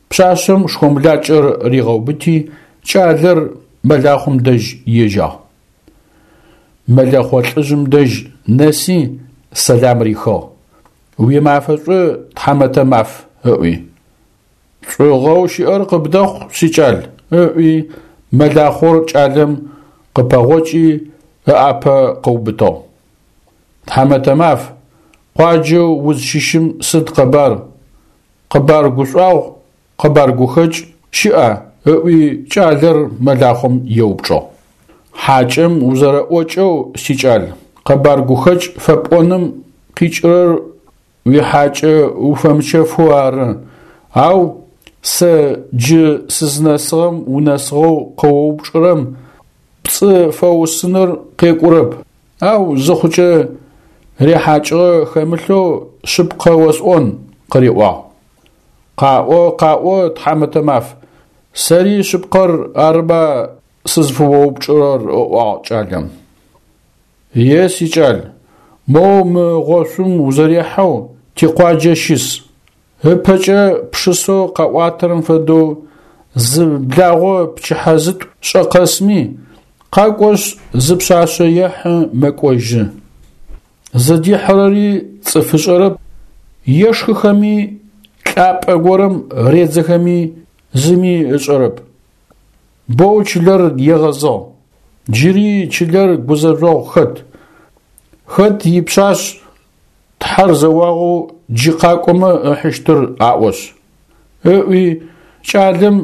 пшъашъэм шхомлакӏэр ригъэубыти, кӏалэр мэлахъом дэжь ежьагъ. Мэлэхъо лӏыжъым дэжь нэси сэлам рихыгъ. Уимафэ шӏу, тхьамэтэ маф, ыӏуи. Шӏугъэу щыӏэр къыбдэхъу, сикӏал, ыӏуи, мэлахъор кӏалэм къыпэгъокӏи ыӏапэ къыубытыгъ. Тхьамэтэ маф, къуаджэу узщыщым сыд къэбар? Къэбар гушӏуагъу, къэбар гухэкӏ щыӏа? Ыӏуи кӏалэр мэлахъом еупчӏыгъ. Хьакӏэм узэрэӏокӏэу, сикӏал, къэбар гухэкӏ фэпӏоным къикӏырэр уихьакӏэ уфэмычэфэу ары, ау Сэ джы сызнэсыгъэм унэсыгъэу къыоупчӀырэм пцӀы фэуусыныр къекӀурэп, ау зыхъукӀэ рехьакӀыгъэ хэмылъэу шъыпкъэ осӀон, – къыриӀуагъ. КъаӀо, къаӀо, тхьамэтэ маф, сэри шъыпкъэр арыба сызфыоупчӀырэр, – ыӀуагъ кӀалэм. Е сикӀал, моу мы гъошъум узэрехьэу тикъуаджэ щыс. ЫпэкӀэ пшысэу къаӀуатэрэм фэдэу зы благъо пчыхьэ зытӀу шӀэ къэсми, къакӀошъ зы пшъашъэ ехьы мэкӀожьы. Зыдихьырэри цӀыф ышӀэрэп, ешхыхэми лӀапӀэ горэм редзэхэми зыми ышӀэрэп. Боу чылэр егъэзыгъ, джыри чылэр гузэжъогъу хэт. Хэт ипшъашъ Тхьэр зэуагъэу джы къакӀомэ ыхьыщтыр аӀошъ. ЫӀуи кӀалэм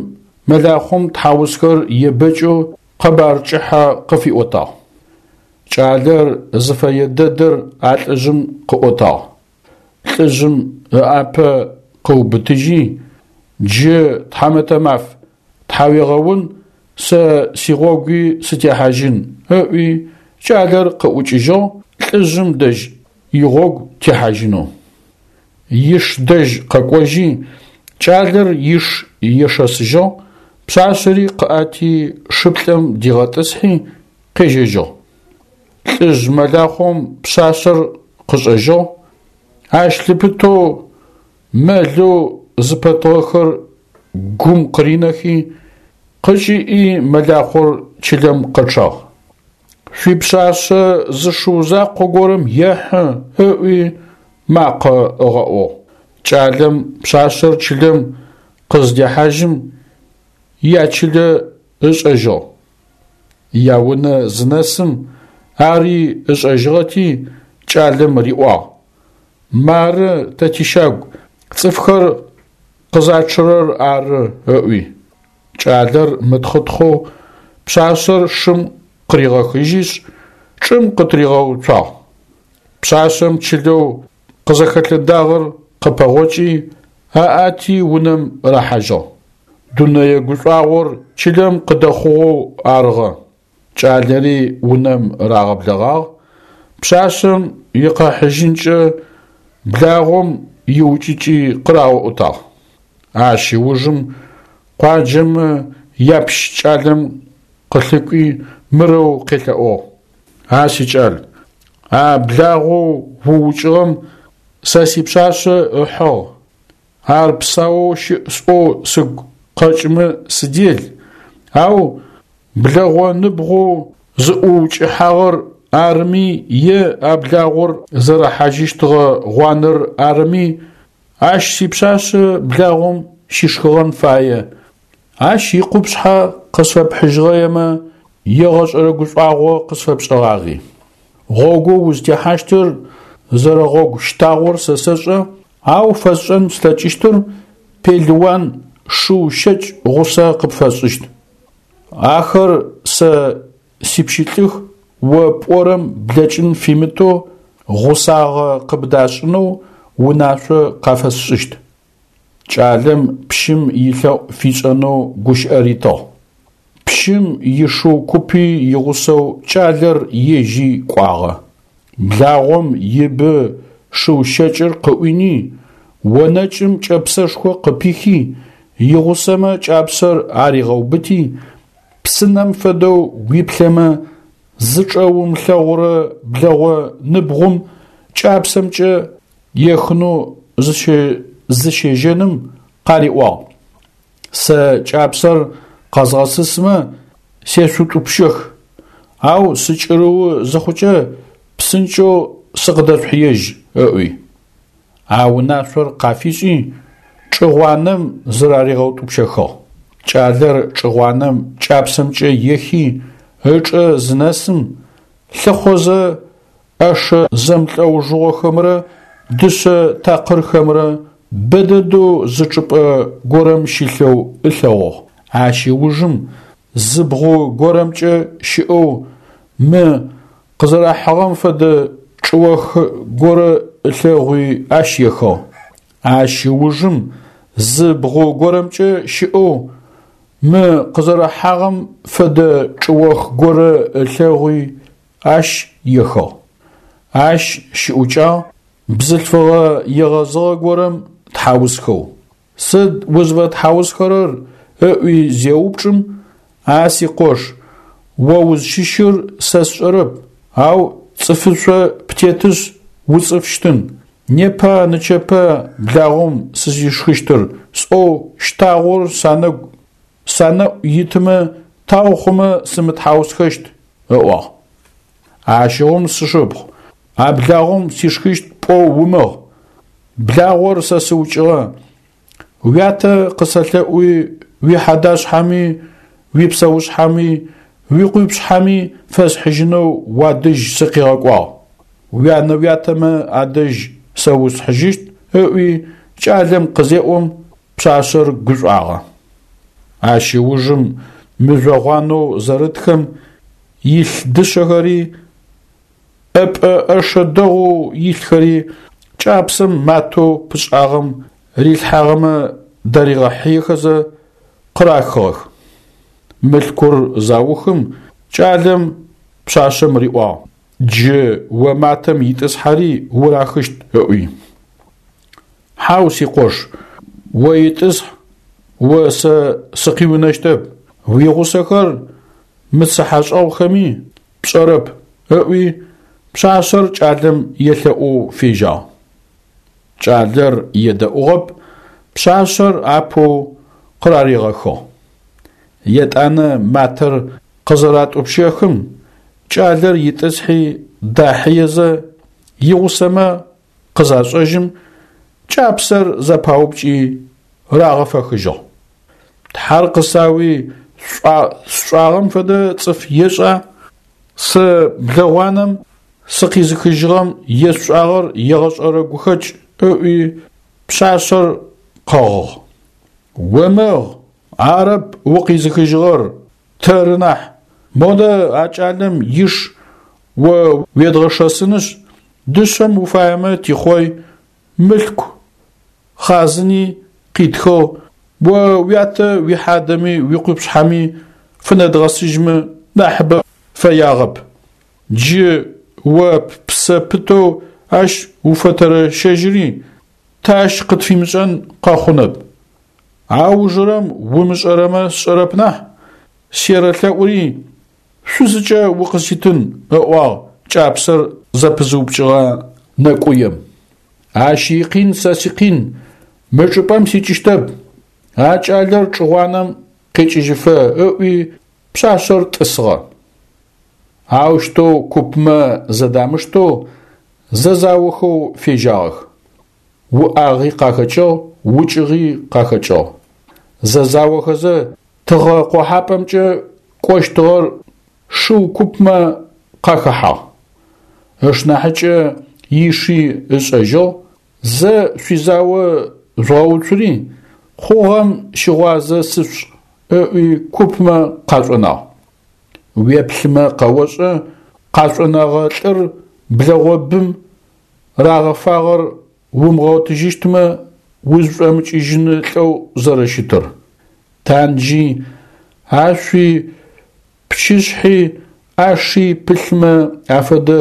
мэлахъом тхьаусхэр ебэкӀэу къэбар кӀыхьэ къыфиӀотагъ. КӀалэр зыфэе дэдэр а лӀыжъым къыӀотагъ. ЛӀыжъым ыӀапэ къыубытыжьи: «Джы, тхьамэтэ маф, тхьауегъэун, сэ сигъогуи сытехьажьын», – ыӀуи кӀалэр къыӀукӀыжьыгъ лӀыжъым дэжь игъогу техьажьынэу. Иш дэжь къэкӀожьи, кӀалэр иш ешэсыжьыгъ, пшъашъэри къыӀати шыплӀэм дигъэтӀысхьи къежьэжьыгъ. ЛӀыжъ мэлахъом пшъашъэр къышӀэжьыгъ, ащ лъыпытэу мэлэу зыпэтыгъэхэр гум къыринэхи, къыкӀиӀи мэлахъор чылэм къэчъагъ. Шъуипшъашъэ зы шыу закъо горэм ехьы, – ыӀуи макъэ ыгъэӀугъ. КӀалэм пшъашъэр чылэм къызыдехьажьым ячылэ ышӀэжьыгъ. Яунэ зынэсым ари ышӀэжьыгъэти кӀалэм риӀуагъ: «Мары тэ тищагу, цӀыфхэр къызачъырэр ары», – ыӀуи. КӀалэр мытхъытхъэу пшъашъэр шым къыригъэхыжьишъ, чӀым къытыригъэуцуагъ. Пшъашъэм чылэу къызэхэлъэдагъэр къыпэгъокӀи, аӀати унэм рахьажьыгъ. Дунэе гушӀуагъор чылэм къыдэхъугъэу арыгъэ. КӀалэри унэм рагъэблэгъагъ, пшъашъэм икъэхьыжьынкӀэ благъом иукӀыкӀи къыраӀотагъ. Ащ ыужым къуаджэмэ япщ кӀалэм къылъыкӀуи мырэу къелъэӀугъ: «А сикӀал, а благъоу уукӀыгъэм сэ сипшъашъэ ыхьыгъ, ар псаоу щыӀ сӀоу сыгу къэкӀымэ сыдел, ау блэгъо ныбгъоу зыӀуукӀыхьагъэр арыми е а благъор зэрыхьажьыщтыгъэ гъуанэр арыми, ащ сипшъашъэ благъом щишхыгъэн фае, ащ икъупшъхьэ къысфэпхьыжьыгъэемэ, егъэшӀэрэ гушӀуагъо къысфэпшӀыгъагъи. Гъогоу узтехьащтыр зэрэгъогу щтагъор сэ сэшӀэ, ау фэсшӀэн слъэкӀыщтыр пелыуан шыу щэкӀ гъусэ къыпфэсшӀыщт. Ахэр сэ сипщылӀых, о пӀорэм блэкӀын фимытэу гъусагъэ къыбдашӀынэу унашъо къафэсшӀыщт». КӀалэм пщым илъэӀу фишӀэнэу гущыӀэ ритыгъ. Пщым ишыу купи игъусэу кӀалэр ежьи кӀуагъэ. Благъом ибы шыу щэкӀыр къыӀуини, онэкӀым кӀэпсэшхо къыпихи, игъусэмэ кӀапсэр аригъэубыти, псынэм фэдэу уиплъэмэ зычӀэ умылъэгъурэ блэгъо ныбгъум кӀапсэмкӀэ ехынэу зыщежьэным къариӀуагъ: «Сэ кӀапсэр къэзгъэсысмэ сешъутӀупщэх, ау сыкӀырыу зыхъукӀэ псынкӀэу сыкъыдэшъухьыежь», – ыӀуи. А унашъор къафишӀи, чӀыгъуанэм зыраригъэутӀупщэхыгъ. КӀалэр чӀыгъуанэм кӀапсэмкӀэ ехи ычӀэ зынэсым, лъыхъозэ Ӏэшэ зэмлӀэужыгъохэмрэ дышъэ такъырхэмрэ бэ дэдэу зы чӀыпӀэ горэм щылъэу ылъэгъугъ. Ащ ыужым зы бгъу горэмкӀэ щыӀэу мы къызэрахьыгъэм фэдэ чӀыох горэ ылъэгъуи ащ ехыгъ. Ащ ыужым Зы бгъу горэмкӏэ щыӏэу мы къызэрэхьагъэм фэдэ чӏыох горэ ылъэгъуи ащ ехыгъ. Ащ щыӏукӏагъ бзылъфыгъэ егъэзыгъэ горэм тхьаусхэу. Сыд узфэтхьаусхэрэр ыӏуи зеупчӏым, а сикъош, о узщыщыр сэ сшӏэрэп, ау цӏыфышъо птетышъ уцӏыфщтын, непа нычэпа благъом сызишхыщтыр сӏоу щтагъор санэгу санэӏу итымэ тау хъумэ сымытхьаусхэщт, ыӏуагъ. Ащыгъум сшыпхъу, а благъом сишхыщт пӏоу умыгъ. Благъор сэ сыукӏыгъэ. Уятэ къысэлъэӏуи уихьадашъхьэми, уипсэушъхьэми, уикъупшъхьэми фэсхьыжьынэу уадэжь сыкъигъэкӏуагъ. Уянэ-уятэмэ адэжь сэ усхьыжьыщт, ыӏуи кӏалэм къызеӏом, пшъашъэр гушӏуагъэ. Ащ ыужым мыжъо гъуанэу зэрытхэм илъ дышъэхэри, ӏэпӏэ ӏэшэ дэгъоу илъхэри кӏапсэм матэу пышӏагъэм рилъхьагъэмэ даригъэхьыехэзэ къырахыгъэх. Мылъкур заухым кӏалэм пшъашъэм риӏуагъ: Джы о матэм итӏысхьэри урахыщт, ыӏуи. Хьау, сикъош, о итӏысхь, о сэ сыкъиунэщтэп, уигъусэхэр мыцыхьэшӏэгъухэми пшӏэрэп, ыӏуи пшъашъэр кӏалэм елъэӏоу фежьагъ. Кӏалэр едэӏугъэп, пшъашъэр апэу къыраригъэхыгъ. Етӏанэ матэр къызэратӏупщэхым, кӏалэр итӏысхьи дахьыезэ игъусэмэ къызашӏэжьым, кӏапсэр зэпаупкӏи рагъэфэхыжьыгъ. Тхьэр къысауи сшӏагъэм фэдэ цӏыф ешӏа? Сэ блэгъуанэм сыкъизыхыжьыгъэм есшӏагъэр егъэшӏэрэ гухэкӏ, ыӏуи пшъашъэр къэгъыгъ. Умыгъ, арэп укъизыхыжьыгъэр, тэры нахь. Модэ а кӏалэм иш о уедгъэшэсынышъ, дышъэм уфаемэ тихъой, мылъку хъазыни къитхыгъ, о уятэ уихьадэми уикъупшъхьэми фынэдгъэсыжьмэ нахьыбэ фэягъэп. Джы о ппсэ пытэу ащ уфэтэрэщэжьыри, тэ ащ къытфимышӏэн къэхъунэп. Аужырэм умышӏэрэмэ сшӏэрэп нахь, серэлъэӏури шъузыкӏэ укъыситын, ыӏуагъ кӏапсэр зэпызыупкӏыгъэ нэкӏуем. Ащ икъин сэ сикъин, мы чӏыпӏэм сикӏыщтэп, а кӏалэр чӏыгъуанэм къекӏыжьыфэ, ыӏуи пшъашъэр тӏысыгъэ. Аущтэу купмэ зэдамыштэу зэзаохэу фежьагъэх. Уӏагъи къахэкӏыгъ, укӏыгъи къахэкӏыгъ. Зэзаохэзэ тыгъэ къохьапӏэмкӏэ кӏощтыгъэр шыу купмэ къахэхьагъ. Ышнахьыкӏэ иши ышӏэжьыгъ, зэ шъуизао жъугъэуцури, хъугъэм щыгъуазэ сышъушӏ, ыӏуи купмэ къашӏонагъ. Уеплъымэ къэошӏэ, къашӏонэгъэ лӏыр блэгъобым рагъэфагъэр умыгъотыжьыщтмэ узшӏомыкӏыжьын лӏэу зэрэщытыр. Танджи, ашъуи, пчышъхьи, ӏаши пылъмэ афэдэ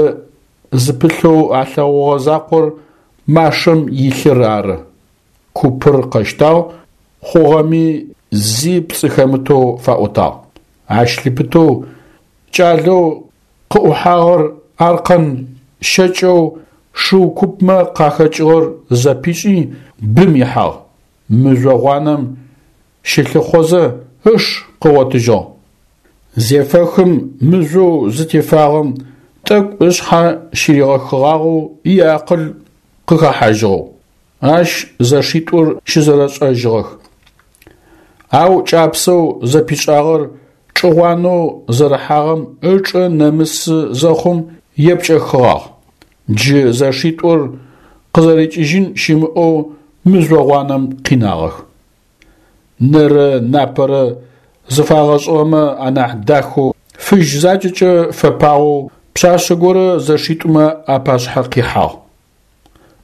зыпылъэу алъэгъугъэ закъор машэм илъыр ары. Купыр къэщтагъ, хъугъэми зи пцӏы хэмытэу фаӏотагъ. Ащ лъыпытэу кӏалэу къыӏухьагъэр аркъэн щэкӏэу шыу купмэ къахэкӏыгъэр зэпишӏи бым ихьагъ. Мыжъо гъуанэм щылъыхъозэ ыш къыгъотыжьыгъ. Зефэхым мыжъоу зытефагъэм тӏэкӏу ышъхьэ щыригъэхыгъагъэу иакъыл къыхэхьажьыгъэу. Ащ зэшитӏур щызэрэшӏэжьыгъэх. Ау кӏапсэу зэпишӏагъэр чӏыгъуанэу зэрыхьагъэм ычӏэ нэмысы зэхъум епкӏэхыгъагъ. Джы зэшитӏур къызэрикӏыжьын щымыӏэу мыжъо гъуанэм къинагъэх. Нэрэ напэрэ зыфагъэшӏыгъэмэ анахь дахэу фыжь закӏэкӏэ фэпагъэу пшъашъэ горэ зэшитӏумэ апашъхьэ къихьагъ.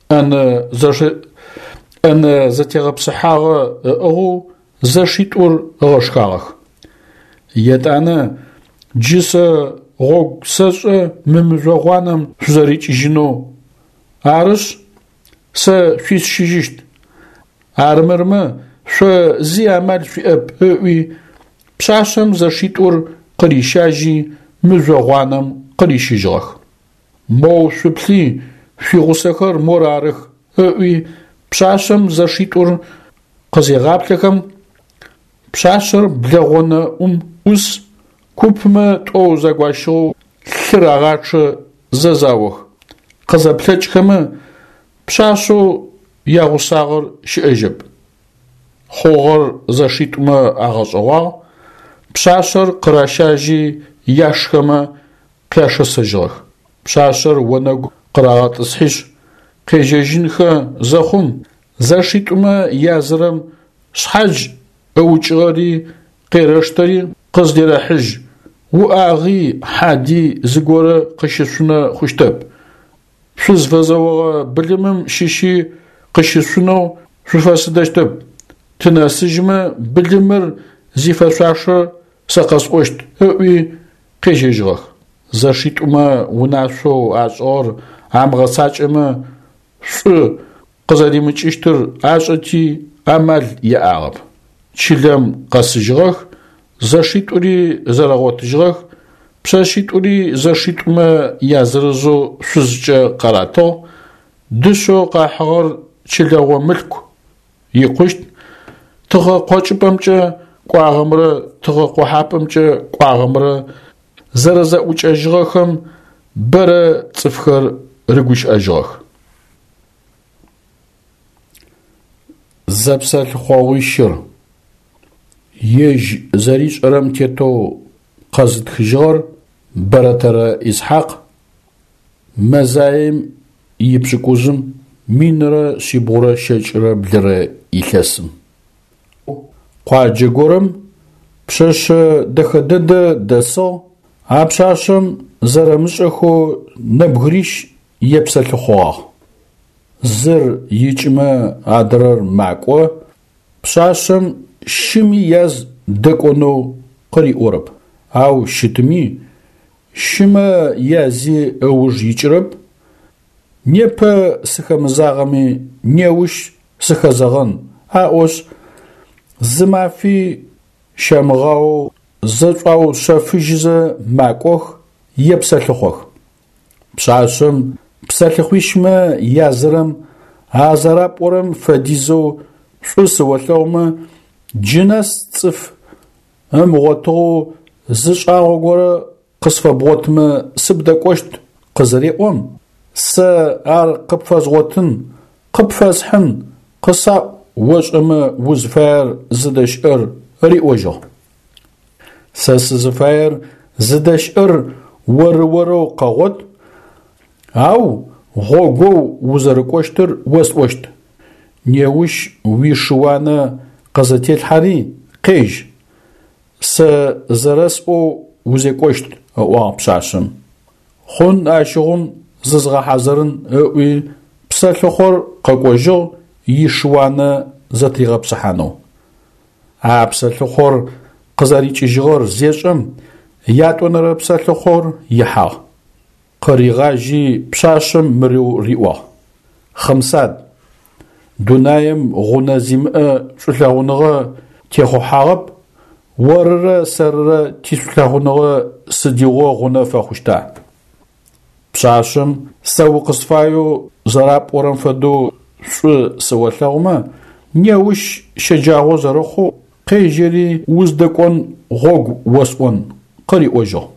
ӏэнэ ӏэнэ зэтегъэпсыхьагъэ ыӏыгъэу зэшитӏур ыгъэшхагъэх. Етӏанэ джы сэ гъогу сэшӏэ мы мыжъо гъуанэм шъузэрикӏыжьынэу, арышъ, сэ шъуисщыжьыщт. Армырмэ шъо зи амал шъуиӏэп, ыӏуи, пшъашъэм зэшитӏур къырищажьи мыжъо гъуанэм къырищыжьыгъэх. Моу шъуплъи, шъуигъусэхэр мор арых, ыӏуи, пшъашъэм зэшитӏур къызегъаплъэхэм, пшъашъэр блэгъонэӏум ӏус, купмэ тӏоу загощыгъэу лъыр агъачъэ зэзаох. Къызэплъэкӏхэмэ, пшъашъэу ягъусагъэр щыӏэжьэп. Хъугъэр зэшитӏумэ агъэшӏэгъуагъ, пшъашъэр къыращажьи яшхэмэ къяшэсыжьыгъэх. Пшъашъэр онэгу къырагъэтӏысхьишъ, къежьэжьынхэ зэхъум, зэшитӏумэ язырэм шъхьадж ыукӏыгъэри къерэштэри къыздерэхьыжь, уӏагъи хьади зыгорэ къыщышъунэ хъущтэп. Шъузфэзэогъэ былымым щыщи къыщышъунэу шъуфэсыдэщтэп. Тынэсыжьмэ, былымыр зифэшъуашэр сэ къэсӏощт, ыӏуи къежьэжьыгъэх. Зэшитӏумэ унашъоу ашӏыгъэр амыгъэцакӏэмэ шӏу къызэримыкӏыщтыр ашӏэти амал яӏагъэп. Чылэм къэсыжьыгъэх, зэшитӏури зэрэгъотыжьыгъэх, пшъэшъитӏури зэшитӏумэ язырызэу шъузкӏэ къаратыгъ, дышъэу къахьыгъэр чылэгъо мылъку икъущт, тыгъэ къокӏыпӏэмкӏэ кӏуагъэмрэ тыгъэ къохьапӏэмкӏэ кӏуагъэмрэ зэрэзэӏукӏэжьыгъэхэм бэрэ цӏыфхэр рыгущыӏэжьыгъэх. Зэпсэлъыхъогъуищыр ежь зэришӏэрэм тетэу къэзытхыжьыгъэр Бэрэтэрэ Исхьакъ, мэзаем ипшӏыкӏузым минрэ шъибгъурэ щэкӏрэ блырэ илъэсым. Къуаджэ горэм пшъэшъэ дэхэ дэдэ дэсыгъ, а пшъашъэм зэрэмышӏэхэу нэбгырищ епсэлъыхъугъагъ. Зыр икӏымэ адрэр макӏо, пшъашъэм щыми яз дэкӏонэу къыриӏорэп, ау щытми щымэ язи ыуж икӏырэп, непэ сыхэмызагъэми неущ сыхэзэгъэн аӏошъ, зы мафи щамыгъаоу зэшӏуаушъэфыжьызэ макӏох, епсэлъыхъох. Пшъашъэм псэлъыхъуищмэ язырэм а зэрапӏорэм фэдизэу шӏу сыолъэгъумэ, джы нэс цӏыф ымыгъотыгъэу зы шӏагъо горэ къысфэбгъотмэ сыбдэкӏощт къызыреӏом, сэ ар къыпфэзгъотын, къыпфэсхьын, къысаӏу ошӏэмэ узфаер зыдэщыӏэр риӏожьыгъ. Сэ сызыфаер зыдэщыӏэр оры-орэу къэгъот, ау гъогоу узэрыкӏощтыр осӏощт. Неущ уишыуанэ къызэтелъхьэри къежь, сэ зэрэсӏоу узекӏощт, ыӏуагъ пшъашъэм. Хъун ащыгъум зызгъэхьазырын ыӏуи псэлъыхъор къэкӏожьыгъ ишыуанэ зэтыригъэпсыхьанэу. А псэлъыхъор къызэрикӏыжьыгъэр зешӏэм, ятӏонэрэ псэлъыхъор ихьагъ. Къыригъажьи пшъашъэм мырэу риӏуагъ: Хъымсад, дунаим гъунэ зимыӏэ шӏулъэгъуныгъэ техъухьагъэп, орырэ сэрырэ тишӏулъэгъуныгъэ сыдигъо гъунэ фэхъущта? Пшъашъэм сэ укъысфаеу зэрапӏорэм фэдэу шӏу сыолъэгъумэ, неущ щэджагъо зэрэхъоу къежьэри уздэкӏон гъогу осӏон, къыриӏожьыгъ.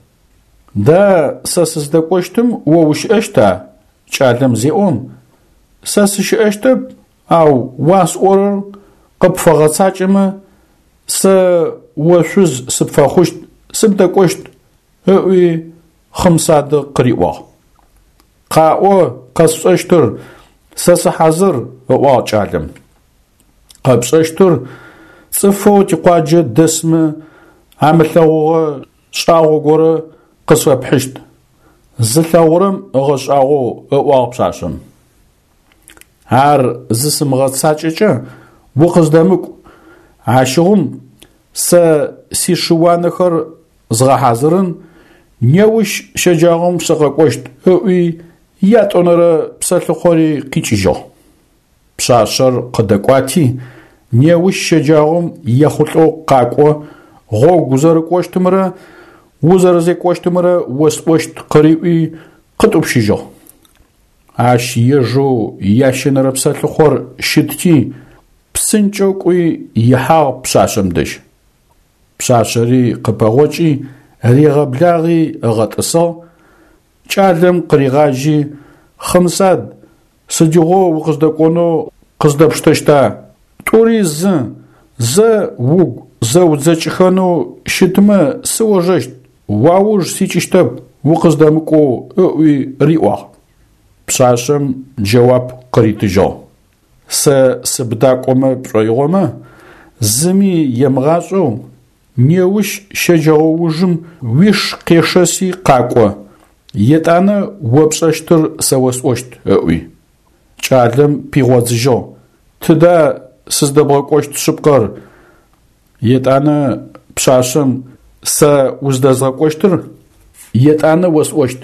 Да сэ сыздэкӏощтым о ущыӏэщта? Кӏалэм зеӏом, сэ сыщыӏэщтэп, ау уасӏорэр къыпфэгъэцакӏэмэ, сэ о шъуз сыпфэхъущт, сыбдэкӏощт, ыӏуи Хъымсады къыриӏуагъ. Къаӏо къэсшӏэщтыр, сэ сыхьазыр, ыӏуагъ кӏалэм. Къэпшӏэщтыр цӏыфэу тикъуаджэ дэсмэ амылъэгъугъэ шӏагъо горэ къысфэпхьыщт, зылъэгъурэм ыгъэшӏагъоу, ыӏуагъ пшъашъэм. Ар зысымыгъэцакӏэкӏэ укъыздэмыкӏу, ащыгъум сэ сишыуанэхэр згъэхьазырын, неущ щэджагъом сыкъэкӏощт, ыӏуи ятӏонэрэ псэлъыхъори къикӏыжьыгъ. Пшъашъэр къыдэкӏуати, неущ щэджагъом ехъулӏэу къакӏо, гъогу узэрыкӏощтымрэ узэрэзекӏощтымрэ осӏощт къыриӏуи къытӏупщыжьыгъ. Ащ ежэу ящэнэрэ псэлъыхъор щытти, псынкӏэу кӏуи ихьагъ пшъашъэм дэжь. Пшъашъэри къыпэгъокӏи, ригъэблагъи ыгъэтӏысыгъ, кӏалэм къыригъажьи, Хъымсад, сыдигъо укъыздэкӏонэу къыздэпштэщта? Тӏури зы, зэ угу зэудзэкӏыхэнэу щытмэ сыожэщт, уауж сикӏыщтэп укъыздэмыкӏоу ыӏуи риӏуагъ. Пшъашъэм джэуап къыритыжьыгъ: Сэ сыбдакӏомэ пшӏоигъомэ, зыми емыгъашӏэу, неущ щэджэгъоужым уиш къешэси къакӏо, етӏанэ о пшӏэщтыр сэ осӏощт, ыӏуи. Кӏалэм пигъодзыжьыгъ: Тыда сыздэбгъэкӏощт шъыпкъэр? Етӏанэ пшъашъэм сэ уздэзгъэкӏощтыр етӏанэ осӏощт,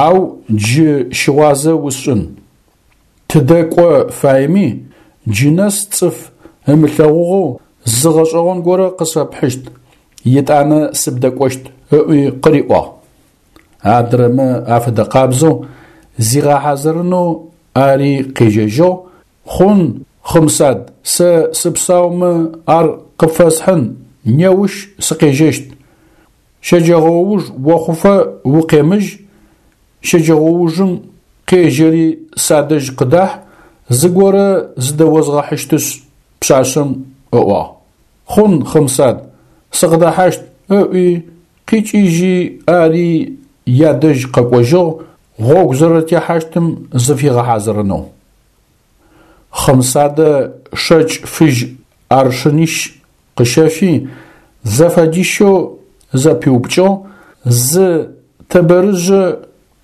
ау джы щыгъуазэ усшӏын. Тыдэ кӏо фаеми, джы нэс цӏыф ымылъэгъугъэу зы гъэшӏэгъон горэ къысфэпхьыщт, етӏанэ сыбдэкӏощт, ыӏуи къыриӏуагъ. Адрэмэ афэдэкъабзэу зигъэхьазырынэу ари къежьэжьыгъ. Хъун, Хъымсад, сэ сыпсаумэ ар къыпфэсхьын, неущ сыкъежьэщт. Щэджэгъоуж охъуфэ укъемыжь, щэджэгъоужым къежьэри садэжь къыдахь, зыгорэ зыдэозгъэхьыщтышъ, пшъашъэм ыӏуагъ. Хъун, Хъымсад, сыкъыдэхьащт, ыӏуи къикӏыжьи ари ядэжь къэкӏожьыгъ гъогу зэрэтехьащтым зыфигъэхьазырынэу. Хъымсадэ шэкӏ фыжь аршынищ къыщэфи, зэфэдищэу зэпиупкӏыгъ, зы тэбэрыжъэ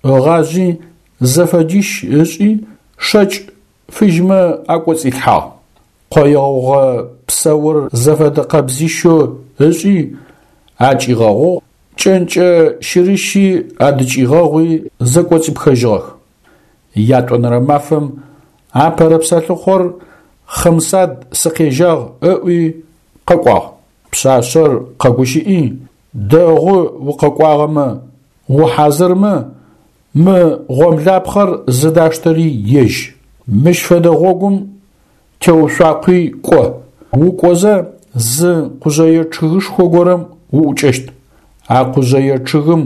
ыгъажъи, зэфэдищ ышӏи, шэкӏ фыжьмэ акӏоцӏилъхьагъ. Къое гъугъэ псэур зэфэдэ къэбзищэу ышӏи, акӏигъэгъугъ, кӏэнкӏэ щырыщи адыкӏигъэгъуи зэкӏоцӏипхэжьыгъэх. Ятӏонэрэ мафэм апэрэ псэлъыхъор Хъымсад сыкъежьагъ ыӏуи къэкӏуагъ. Пшъашъэр къэгущыӏи, дэгъу укъэкӏуагъэмэ, ухьазырмэ, мы гъомлапхъэр зыдаштэри ежь. Мыщ фэдэ гъогум теушъуакъуи кӏо. Укӏозэ зы къужъэе чъыгышхо горэм уӏукӏэщт. А къужъэе чъыгым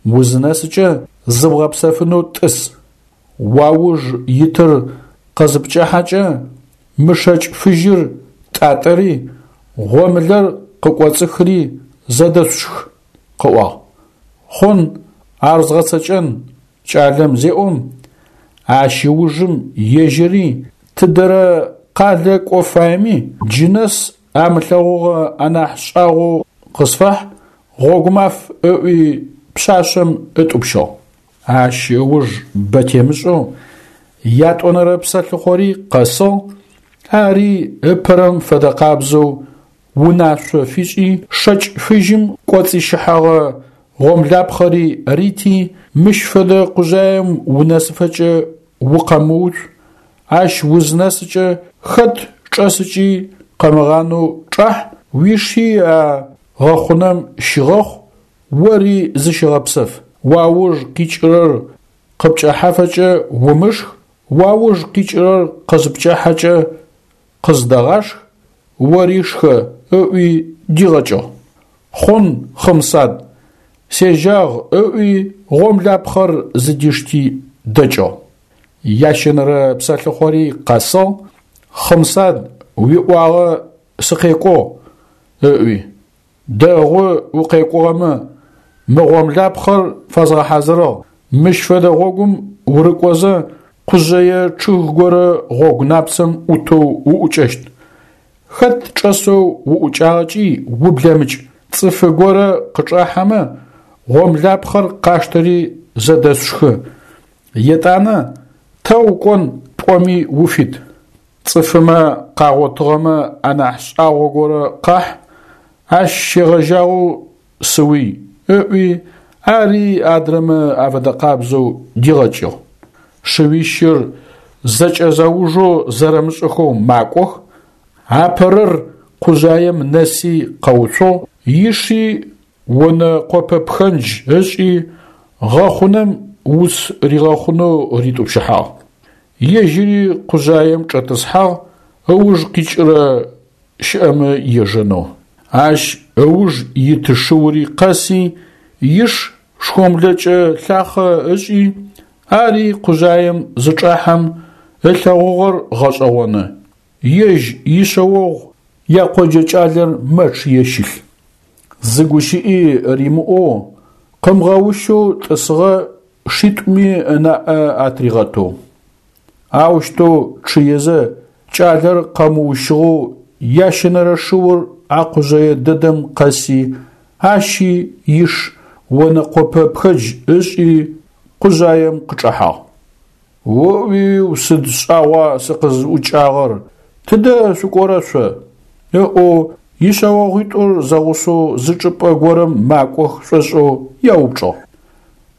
узынэсыкӏэ зыбгъэпсэфынэу тӏыс. Уауж итыр къызыпкӏэхьэкӏэ мы шэкӏ фыжьыр тӏатӏэри, гъомылэр къыкӏоцӏыхри зэдэшъушх, къыӏуагъ. Хъун, ар згъэцэкӏэн, кӏалэм зеӏом, ащ ыужым ежьыри тыдэрэ къалэ кӏо фаеми, джы нэс амылъэгъугъэ анахь шӏагъоу къысфахь, гъогумаф ыӏуи пшъашъэм ытӏупщыгъ. Ащ ыуж бэ темышӏэу ятӏонэрэ псэлъыхъори къэсыгъ, ари ыпэрэм фэдэкъабзэу унашъо фишӏи, шэкӏ фыжьым кӏоцӏищыхьэгъэ гъомлапхъэри рити, мыщ фэдэ къужъаем унэсыфэкӏэ укъэмыуцу, ащ узынэсыкӏэ хэт чӏэсыкӏи къэмыгъанэу чӏахь, уиши а гъэхъунэм щыгъэхъу, ори зыщыгъэпсэф. Уауж къикӏырэр къыпкӏэхьафэкӏэ умышх, уауж къикӏырэр къызыпкӏахьэкӏэ къыздэгъашх, ори шхэ, ыӏуи дигъэкӏыгъ. Хъун, Хъымсад, сежьагъ ыӏуи гъомлапхъэр зыдишти дэкӏыгъ. Ящэнэрэ псэлъыхъори къэсыгъ, Хъымсад, уиӏуагъэ сыкъекӏугъ, ыӏуи. Дэгъу укъекӏугъэмэ, мы гъомлапхъэр фэзгъэхьазырыгъ, мыщ фэдэ гъогум урыкӏозэ къужъэе чъыг горэ гъогу напцэм ӏутэу уӏукӏэщт. Хэт чӏэсэу уӏукӏагъэкӏи ублэмыкӏ, цӏыфы горэ къычӏахьэмэ, гъомлапхъэр къаштэри зэдэшъушхы. Етӏанэ тэ укӏон пӏоми уфит. Цӏыфымэ къагъотыгъэмэ анахь шӏагъо горэ къахь, ащ щегъэжьагъэу сыуй, ыӏуи, ари адрэмэ афэдэкъабзэу дигъэкӏыгъ. Шыуищыр зэкӏэзэужэу зэрэмышӏэхэу макӏох, апэрэр къужъаем нэси къэуцугъ, иши онэ къопэ пхэндж ышӏи, гъэхъунэм уц ригъэхъунэу ритӏупщыхьагъ. Ежьыри къужъаем чӏэтӏысхьагъ, ыуж къикӏырэ щыӏэмэ ежэнэу. Ащ ыуж ит шыури къэси, иш шхомлэкӏэ лъахъэ ышӏи, ари къужъаем зычӏахьэм ылъэгъугъэр гъэшӏэгъоны: ежь ишъэогъу якъоджэ кӏалэр мэчъые щылъ. Зы гущыӏи римыӏоу, къымыгъэущэу тӏысыгъэ шитӏуми ынаӏэ атыригъэтэу. Аущтэу чъыезэ кӏалэр къэмыущыгъэу ящэнэрэ шыур а къужъэе дэдэм къэси, ащи иш онэкъопэ пхэндж ышӏи къужъаем къычӏэхьагъ. О-уиу, сыд шӏагъуа сыкъызӏукӏагъэр, тыдэ шъукӏорэ шъо? Ыӏоу ишъэогъуитӏур зэгъусэу зы чӏыпӏэ горэм макӏох шӏошӏэу яупчӏыгъ.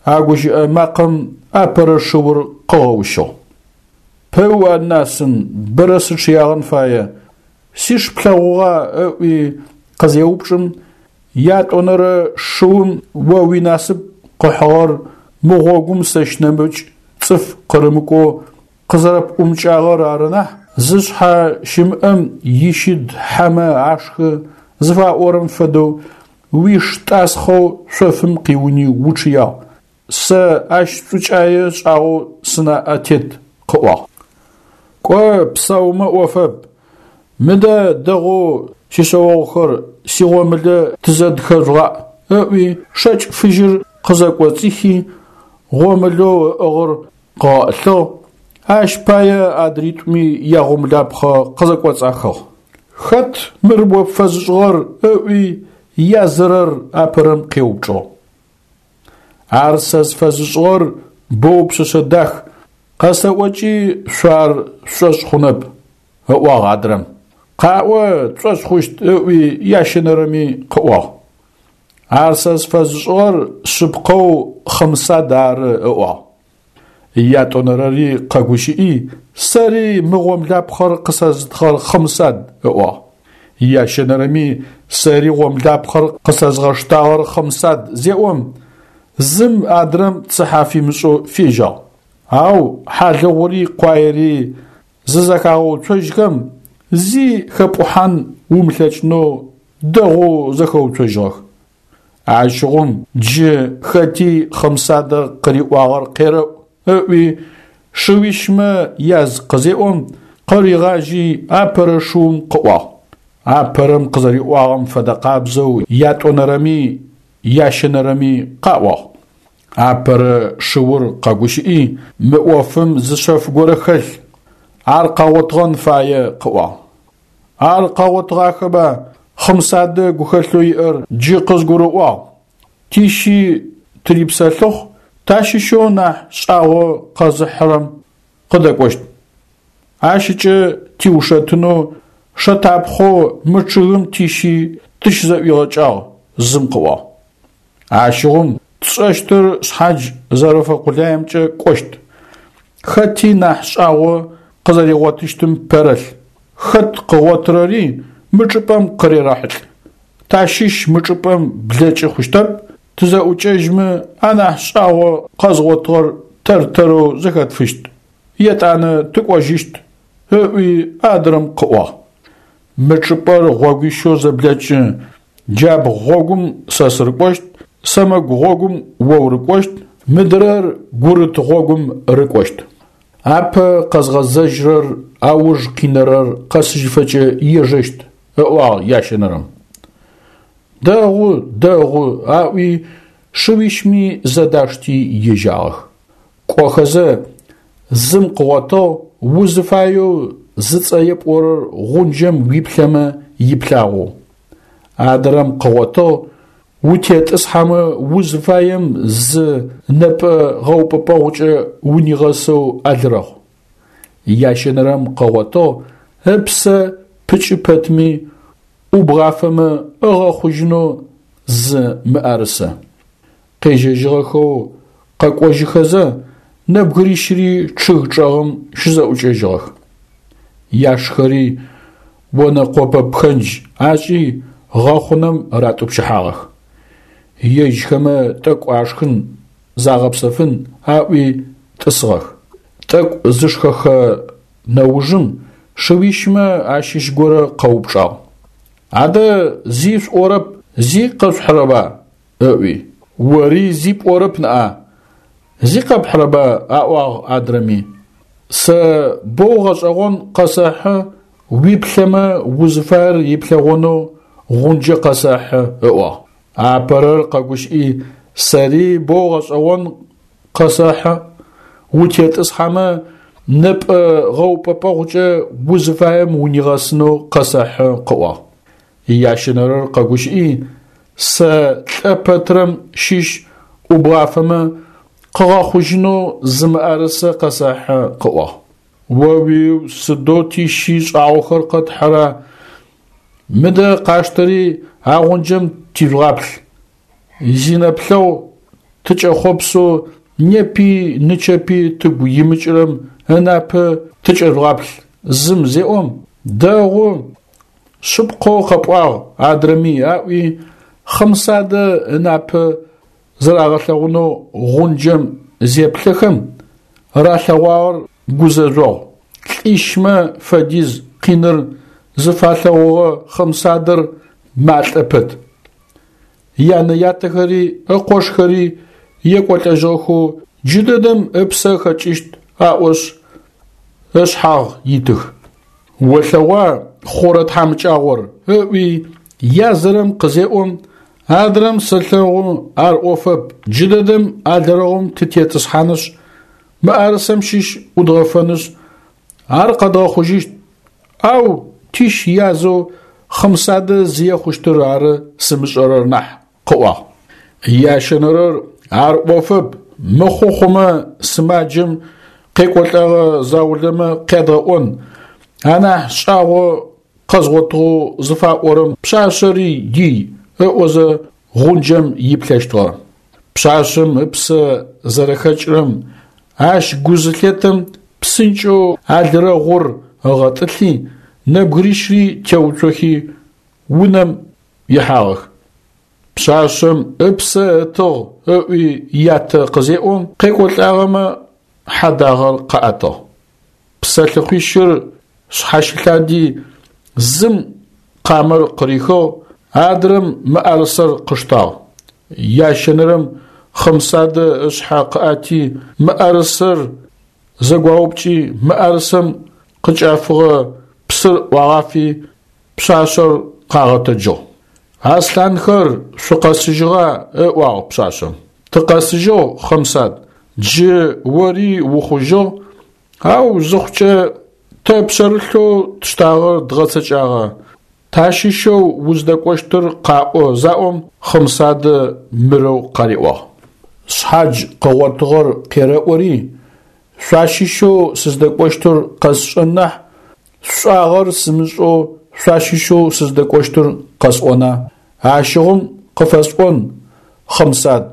А гущыӏэ макъэм апэрэ шыур къыгъэущыгъ. Пыу анасын, бэрэ сычъыягъэн фае, сиш плъэгъугъа ыӏуи къызеупчӏым, ятӏонэрэ шыум о уинасып къыхьыгъэр мы гъогум сэщ нэмыкӏ цӏыф къырымыкӏоу къызэрэпӏумыкӏагъэр ары нахь, зышъхьэ щымыӏэм ищыд хьэмэ ашхы зыфаӏорэм фэдэу уиш тӏасхъэу шъофым къиуни учъыягъ, сэ ащ шӏукӏае шӏагъэу сынаӏэ тет, къыӏуагъ. Кӏо, псаумэ ӏофэп, мыдэ дэгъоу сишъэогъухэр сигъомылэ тызэдхэжъугъаӏ, ыӏуи шэкӏ фыжьыр къызэкӏоцӏихи, гъомылэу ыӏыгъыр къыгъэӏылъыгъ, ащ пае адритӏуми ягъомлапхъэ къызэкӏоцӏахыгъ. Хэт мыр о пфэзышӏыгъэр? Ыӏуи язырэр апэрэм къеупчӏыгъ. Ар сэ сфэзышӏыгъэр боу пшъэшъэ дах, къэсэӏокӏи шъо ар шъушӏошъ хъунэп, ыӏуагъ адрэм. Къаӏо, тшӏошъ хъущт, ыӏуи ящэнэрэми къыӏуагъ. Ар сэ сфэзышӏыгъэр шъыпкъэу Хъымсад ары, ыӏуагъ. Ятӏонэрэри къэгущыӏи, сэри мы гъомлапхъэр къысэзытыгъэр Хъымсад, ыӏуагъ. Ящэнэрэми сэри гъомлапхъэр къысэзгъэштагъэр Хъымсад зеӏом, зым адрэм цыхьэ фимышӏэу фежьагъ. Ау хьалыгъури къуаери зызэхагъэуцожьхэм, зи хэпӏухьан умылъэкӏынэу дэгъоу зэхэуцожьыгъэх. Ащыгъум джы хэти Хъымсадэ къыриӏуагъэр къерэӏу, ыӏуи шыуищмэ яз къызеӏом, къыригъажьи апэрэ шыум къыӏуагъ. Апэрэм къызэриӏуагъэм фэдэ къабзэу ятӏонэрэми ящэнэрэми къаӏуагъ. Апэрэ шыур къэгущыӏи, мы ӏофым зы шъэф горэ хэлъ, ар къэгъотыгъэн фае, къыӏуагъ. Ар къэгъотыгъахэба, Хъымсадэ гухэлъэу иӏэр джы къызгурыӏуагъ. Тищи тырипсэлъыхъу, тащыщэу нахь шӏагъо къэзыхьырэм къыдэкӏощт. Ащыкӏэ тиушэтынэу шэтапхъэу мы чъыгым тищи тыщызэӏуигъэкӏагъ, зым къыӏуагъ. Ащыгъум тшӏэщтыр шъхьадж зэрэфэкъулаемкӏэ кӏощт. Хэти нахь шӏагъо къызэригъотыщтым пэрэлъ, хэт къыгъотырэри мы чӏыпӏэм къырерэхьылӏ. Тащыщ мы чӏыпӏэм блэкӏы хъущтэп, тызэӏукӏэжьмэ анахь шӏагъо къэзгъотыгъэр тэр-тэрэу зэхэтфыщт, етӏанэ тыкӏожьыщт, ыӏуи адрэм къыӏуагъ. Мы чӏыпӏэр гъогуищэу зэблэкӏы, джабгъу гъогум сэ сырыкӏощт, сэмэгу гъогум о урыкӏощт, мыдрэр гурыт гъогум рыкӏощт. Апэ къэзгъэзэжьырэр ауж къинэрэр къэсыжьыфэкӏэ ежэщт, ыӏуагъ ящэнэрэм. Дэгъу, дэгъу, аӏуи шыуищми зэдашти ежьагъэх. Кӏохэзэ зым къыгъотыгъ узыфаеу зыцӏэ епӏорэр гъунджэм уиплъэмэ иплъагъоу. Адрэм къыгъотыгъ утетӏысхьэмэ узыфаем зы нэпӏэ гъэупӏэпӏэгъукӏэ унигъэсэу алырэгъу. Ящэнэрэм къыгъотыгъ Ыпсэ пыкӏы пэтми ӏубгъафэмэ ыгъэхъужьынэу зы мыӏэрысэ. Къежьэжьыгъэхэу къэкӏожьыхэзэ, нэбгырищыри чъыг чӏэгъым щызэӏукӏэжьыгъэх. Яшхэри онэкъопэ пхэндж ашӏи гъэхъунэм ратӏупщыхьагъэх. Ежьхэмэ тӏэкӏу ашхын, загъэпсэфын аӏуи тӏысыгъэх. Тӏэкӏу зышхэхэ нэужым шыуищмэ ащыщ горэ къэупчӏагъ: «Адэ зи шъуӏорэп, зи къэшъухьырэба?» ыӏуи. «Ори зи пӏорэп ныӏа, зи къэпхьырэба?» аӏуагъ адрэми. «Сэ боу гъэшӏэгъон къэсэхьы, уиплъэмэ узыфаер иплъэгъонэу гъунджэ къэсэхьы», ыӏуагъ. Апэрэр къэгущыӏи: «Сэри боу гъэшӏэгъон къэсэхьы, утетӏысхьэмэ нэпӏэ гъэупӏэпӏэгъукӏэ узыфаем унигъэсынэу къэсэхьы», къыӏуагъ. Ящэнэрэр къэгущыӏи: «Сэ лӏэ пэтрэм щыщ ӏубгъафэмэ къыгъэхъужьынэу зы мыӏэрысэ къэсэхьы», къыӏуагъ. О-уиу, сыдэу тищи шӏагъохэр къэтхьыра? Мыдэ къаштэри а гъунджэм тижъугъаплъ. Зинэплъэгъу тыкӏэхъопсэу непи нычэпи тыгу имыкӏырэм ынапэ тыкӏэжъугъаплъ зым зеӏом, дэгъу, шъыпкъэу къэпӏуагъ адрэми аӏуи, Хъымсадэ ынапэ зэрагъэлъэгъунэу гъунджэм зеплъэхэм, ралъэгъуагъэр гузэжъогъу. Лӏищмэ фэдиз къиныр зыфалъэгъугъэ Хъымсадэр малӏэ пэт. Янэ-ятэхэри ыкъошхэри екӏолӏэжьыгъэхэу джыдэдэм ыпсэ хэкӏыщт аӏошъ ышъхьагъ итых. Олъэгъуа хъурэ тхьамыкӏагъор, ыӏуи язырэм къызеӏом, адрэм сэлъэгъу ар ӏофэп, джыдэдэм алырэгъум тытетӏысхьанышъ, мыӏэрысэм щыщ ӏудгъэфэнышъ, ар къэдгъэхъужьыщт, ау тищ язэу Хъымсадэ зые хъущтыр ары сымышӏэрэр нахь, къыӏуагъ. Ящэнэрэр ар ӏофэп, мыхъу хъумэ сымаджэм къекӏолӏэгъэ заулэмэ къядгъэӏон, анахь шӏагъо къэзгъотыгъэу зыфаӏорэм пшъашъэри ий ыӏозэ гъунджэм иплъэщтыгъэ. Пшъашъэм ыпсэ зэрэхэкӏырэм ащ гу зылъетэм псынкӏэу алырэгъур ыгъэтӏылъи, нэбгырищри теуцохи унэм ихьагъэх. Пшъашъэм ыпсэ ытыгъ ыӏуи ятэ къызеӏом, къекӏолӏагъэмэ хьэдагъэр къаӏэтыгъ. Псэлъыхъуищыр шъхьащылъади, зым къамэр къырихыгъ, адрэм мыӏэрысэр къыштагъ. Ящэнэрэм Хъымсадэ ышъхьэ къыӏэти, мыӏэрысэр зэгуаупкӏи, мыӏэрысэм къыкӏафыгъэ псыр ӏуагъафи, пшъашъэр къагъэтэджыгъ. «Аслъанхэр, шъукъэсыжьыгъа?» ыӏуагъ пшъашъэм. «Тыкъэсыжьыгъ, Хъымсад, джы ори ухъужьыгъ, ау зыхъукӏэ тэ пшъэрылъэу тштагъэр дгъэцэкӏагъэ, тащыщэу уздэкӏощтыр къаӏо» заӏом, Хъымсадэ мырэу къариӏуагъ: «Шъхьадж къыгъотыгъэр къерэӏори, шъуащыщэу сыздэкӏощтыр къэсшӏэн нахь, сшӏагъэр сымышӏэу шъуащыщэу сыздэкӏощтыр къэсӏона? Ащыгъум къыфэсӏон, Хъымсад,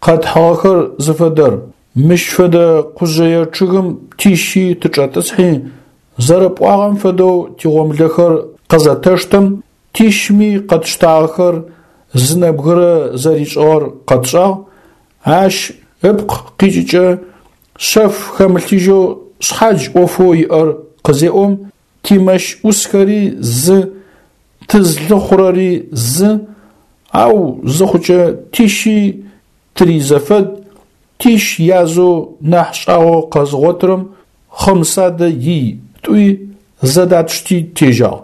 къэтхьыгъэхэр зыфэдэр, мыщ фэдэ къужъэе чъыгым тищи тычӏэтӏысхьи, зэрэпӏуагъэм фэдэу тигъомылэхэр къызэтэштэм, тищми къэтштагъэхэр зы нэбгырэ зэришӏыгъэр къэтшӏагъ, ащ ыпкъ къикӏыкӏэ шъэф хэмылъыжьэу шъхьадж ӏофэу иӏэр къызеӏом, тимэщ ӏусхэри зы, тызлъыхъурэри зы, ау зыхъукӏэ тищи тыризэфэд, тищ язэу нахь шӏагъо къэзыгъотырэм Хъымсадэ ий тӏуи зэдатшти тежьагъ.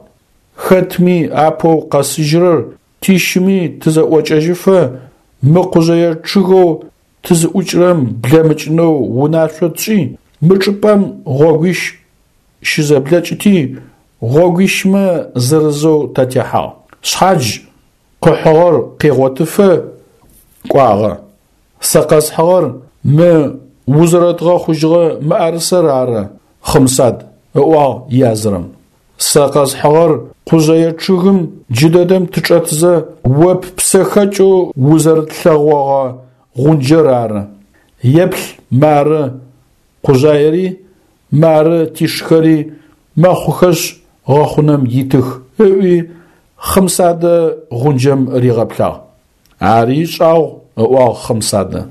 Хэтми апэу къэсыжьырэр тищыми тызэӏокӏэжьыфэ мы къужъэе чъыгэу тызыӏукӏырэм блэмыкӏынэу унашъо тшӏи, мы чӏыпӏэм гъогуищ щызэблэкӏыти, гъогуищмэ зырызэу татехьагъ. Шъхьадж къыхьыгъэр къегъотыфэ кӏуагъэ. Сэ къэсхьыгъэр мы узэрэтгъэхъужьыгъэ мыӏэрысэр ары, Хъымсад, ыӏуагъ язырэм. Сэ къэсхьыгъэр къужъэе чъыгым джыдэдэм тычӏэтзэ о ппсэ хэкӏэу узэрытлъэгъогъэ гъунджэр ары. Еплъ, мары къужъаери, мары тишхэри мэхъухэшъ гъэхъунэм итых, – ыӏуи Хъымсадэ гъунджэм ригъэплъагъ. Ари шӏагъу, – ыӏуагъ Хъымсадэ.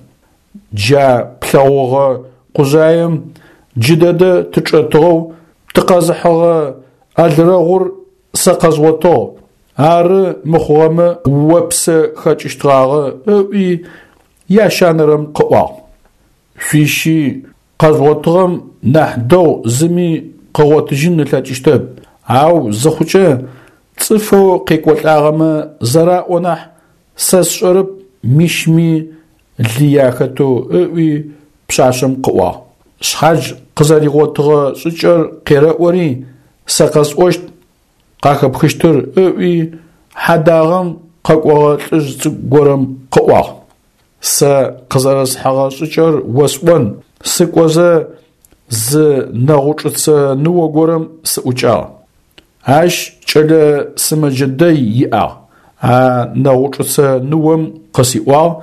Джа плъэгъугъэ къужъаем джыдэдэ тычӏэтыгъэу тыкъэзыхьыгъэ алрэгъур сэ къэзгъотыгъ, ары мыхъугъэмэ о ппсэ хэкӏыщтгъагъэ, – ыӏуи ящэнэрэм къыӏуагъ. Шъуищи къэжъугъотыгъэм нахь дэгъу зыми къыгъотыжьын ылъэкӏыщтэп, ау зыхъукӏэ цӏыфэу къекӏолӏагъэмэ зэраӏо нахь, сэ сшӏэрэп мищми лые ахэтэу, – ыӏуи пшъашъэм къыӏуагъ. Шъхьадж къызэригъотыгъэ шӏыкӏэр къерэӏори, сэ къэсӏощт къахэпхыщтыр, – ыӏуи хьэдагъэм къэкӏогъэ лӏыжъ цӏыкӏу горэм къыӏуагъ. Сэ къызэрэсхьыгъэ шӏыкӏэр осӏон, сыкӏозэ зы нэгъучӏыцэ ныо горэм сыӏукӏагъ. Ащ кӏэлэ сымэджэ дэй иӏагъ. А нэгъучӏыцэ ныом къысиӏуагъ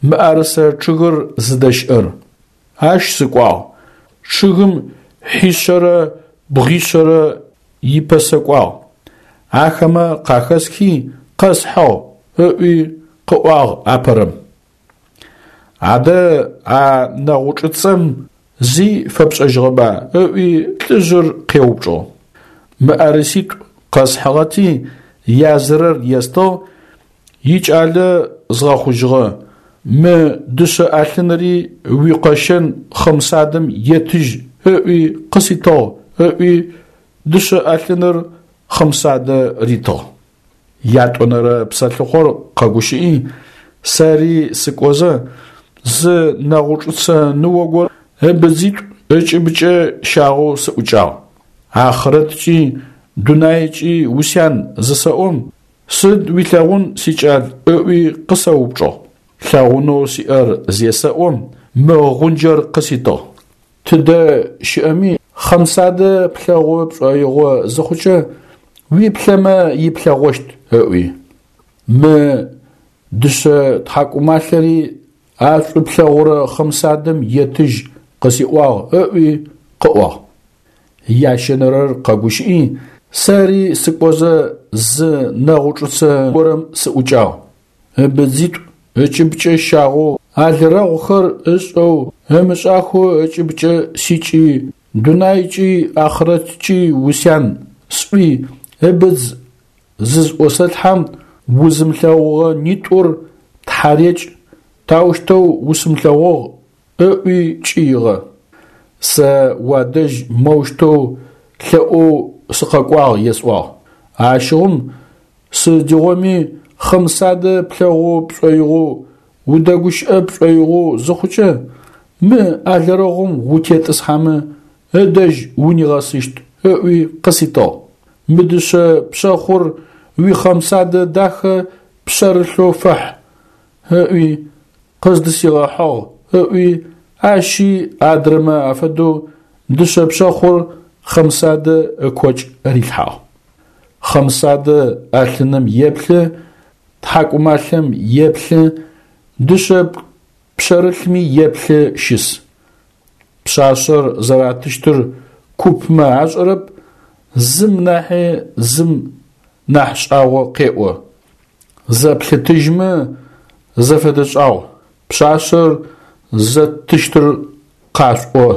мыӏэрысэ чъыгыр зыдэщыӏэр. Ащ сыкӏуагъ. Чъыгым хьишъэрэ бгъишъэрэ ипэсэкӏуагъ. Ахэмэ къахэсхи къэсхьыгъ, – ыӏуи къыӏуагъ апэрэм. Адэ а нэгъучӏыцэм зи фэпшӏэжьыгъэба? – ыӏуи лӏыжъыр къеупчӏыгъ. Мыӏэрыситӏу къэсхьыгъэти язырэр естыгъ, икӏалэ згъэхъужьыгъэ, мы дышъэ ӏэлъыныри уикъэщэн Хъымсадэм етыжь ыӏуи къыситыгъ, – ыӏуи дышъэ ӏэлъыныр Хъымсадэ ритыгъ. Ятӏонэрэ псэлъыхъор къэгущыӏи, сэри сыкӏозэ зы нэгъучӏыцэ ныо горэ ыбыдзитӏу ыкӏыбыкӏэ щагъэу сыӏукӏагъ. Ахърэткӏи дунайкӏи усян зысэӏом, сыд уилъэгъун, сикӏал, ыӏуи къысэупчӏыгъ. Лъэгъунэу сиӏэр зесэӏом, мы гъунджэр къыситыгъ. Тыдэ щыӏэми Хъымсадэ плъэгъу пшӏоигъо зыхъукӏэ, уиплъэмэ иплъэгъощт, ыӏуи. Мы дышъэ тхьакӏумалъэри а шӏу плъэгъурэ Хъымсадэм етыжь къысиӏуагъ, ыӏуи къыӏуагъ. Ящэнэрэр къэгущыӏи, сэри сыкӏозэ зы нэгъучӏыцэ горэм сыӏукӏагъ. Ыбыдзитӏу ыкӏыбыкӏэ щагъэу алрэгъухэр ышӏэу ымышӏахэу ыкӏыбыкӏэ сикӏи, дунайкӏи ахърэткӏи усян, сӏуи ыбыдз зызӏосэлъхьэм, узымылъэгъугъэ нитӏур тхьарекӏ, таущтэу усымылъэгъугъ, ыӏуи кӏыигъэ. Сэ уадэжь моущтэу лъэӏоу сыкъэкӏуагъ есӏуагъ. Ащыгъум сыдигъоми Хъымсадэ плъэгъу пшӏоигъоу, удэгущыӏэ пшӏоигъоу зыхъукӏэ, мы алрэгъум утетӏысхьэмэ ыдэжь унигъэсыщт, ыӏуи къыситыгъ. Мы дышъэ пшъэхъур уи Хъымсадэ дахэ пшъэрылъэу фэхь, ыӏуи къыздысигъэхьыгъ, ыӏуи ащи адрэмэ афэдэу дышъэ пшъэхъур Хъымсадэ ыкокӏ рилъхьагъ. Хъымсадэ ӏэлъыным еплъы, тхьакӏумалъэм еплъы, дышъэ пшъэрылъми еплъы щыс. Пшъашъэр зэратыщтыр купмэ ашӏэрэп, зым нахьи зым нахь шӏагъо къеӏо. Зэплъытыжьмэ зэфэдэ шӏагъу, пшъашъэр зэттыщтыр къашъуӏо,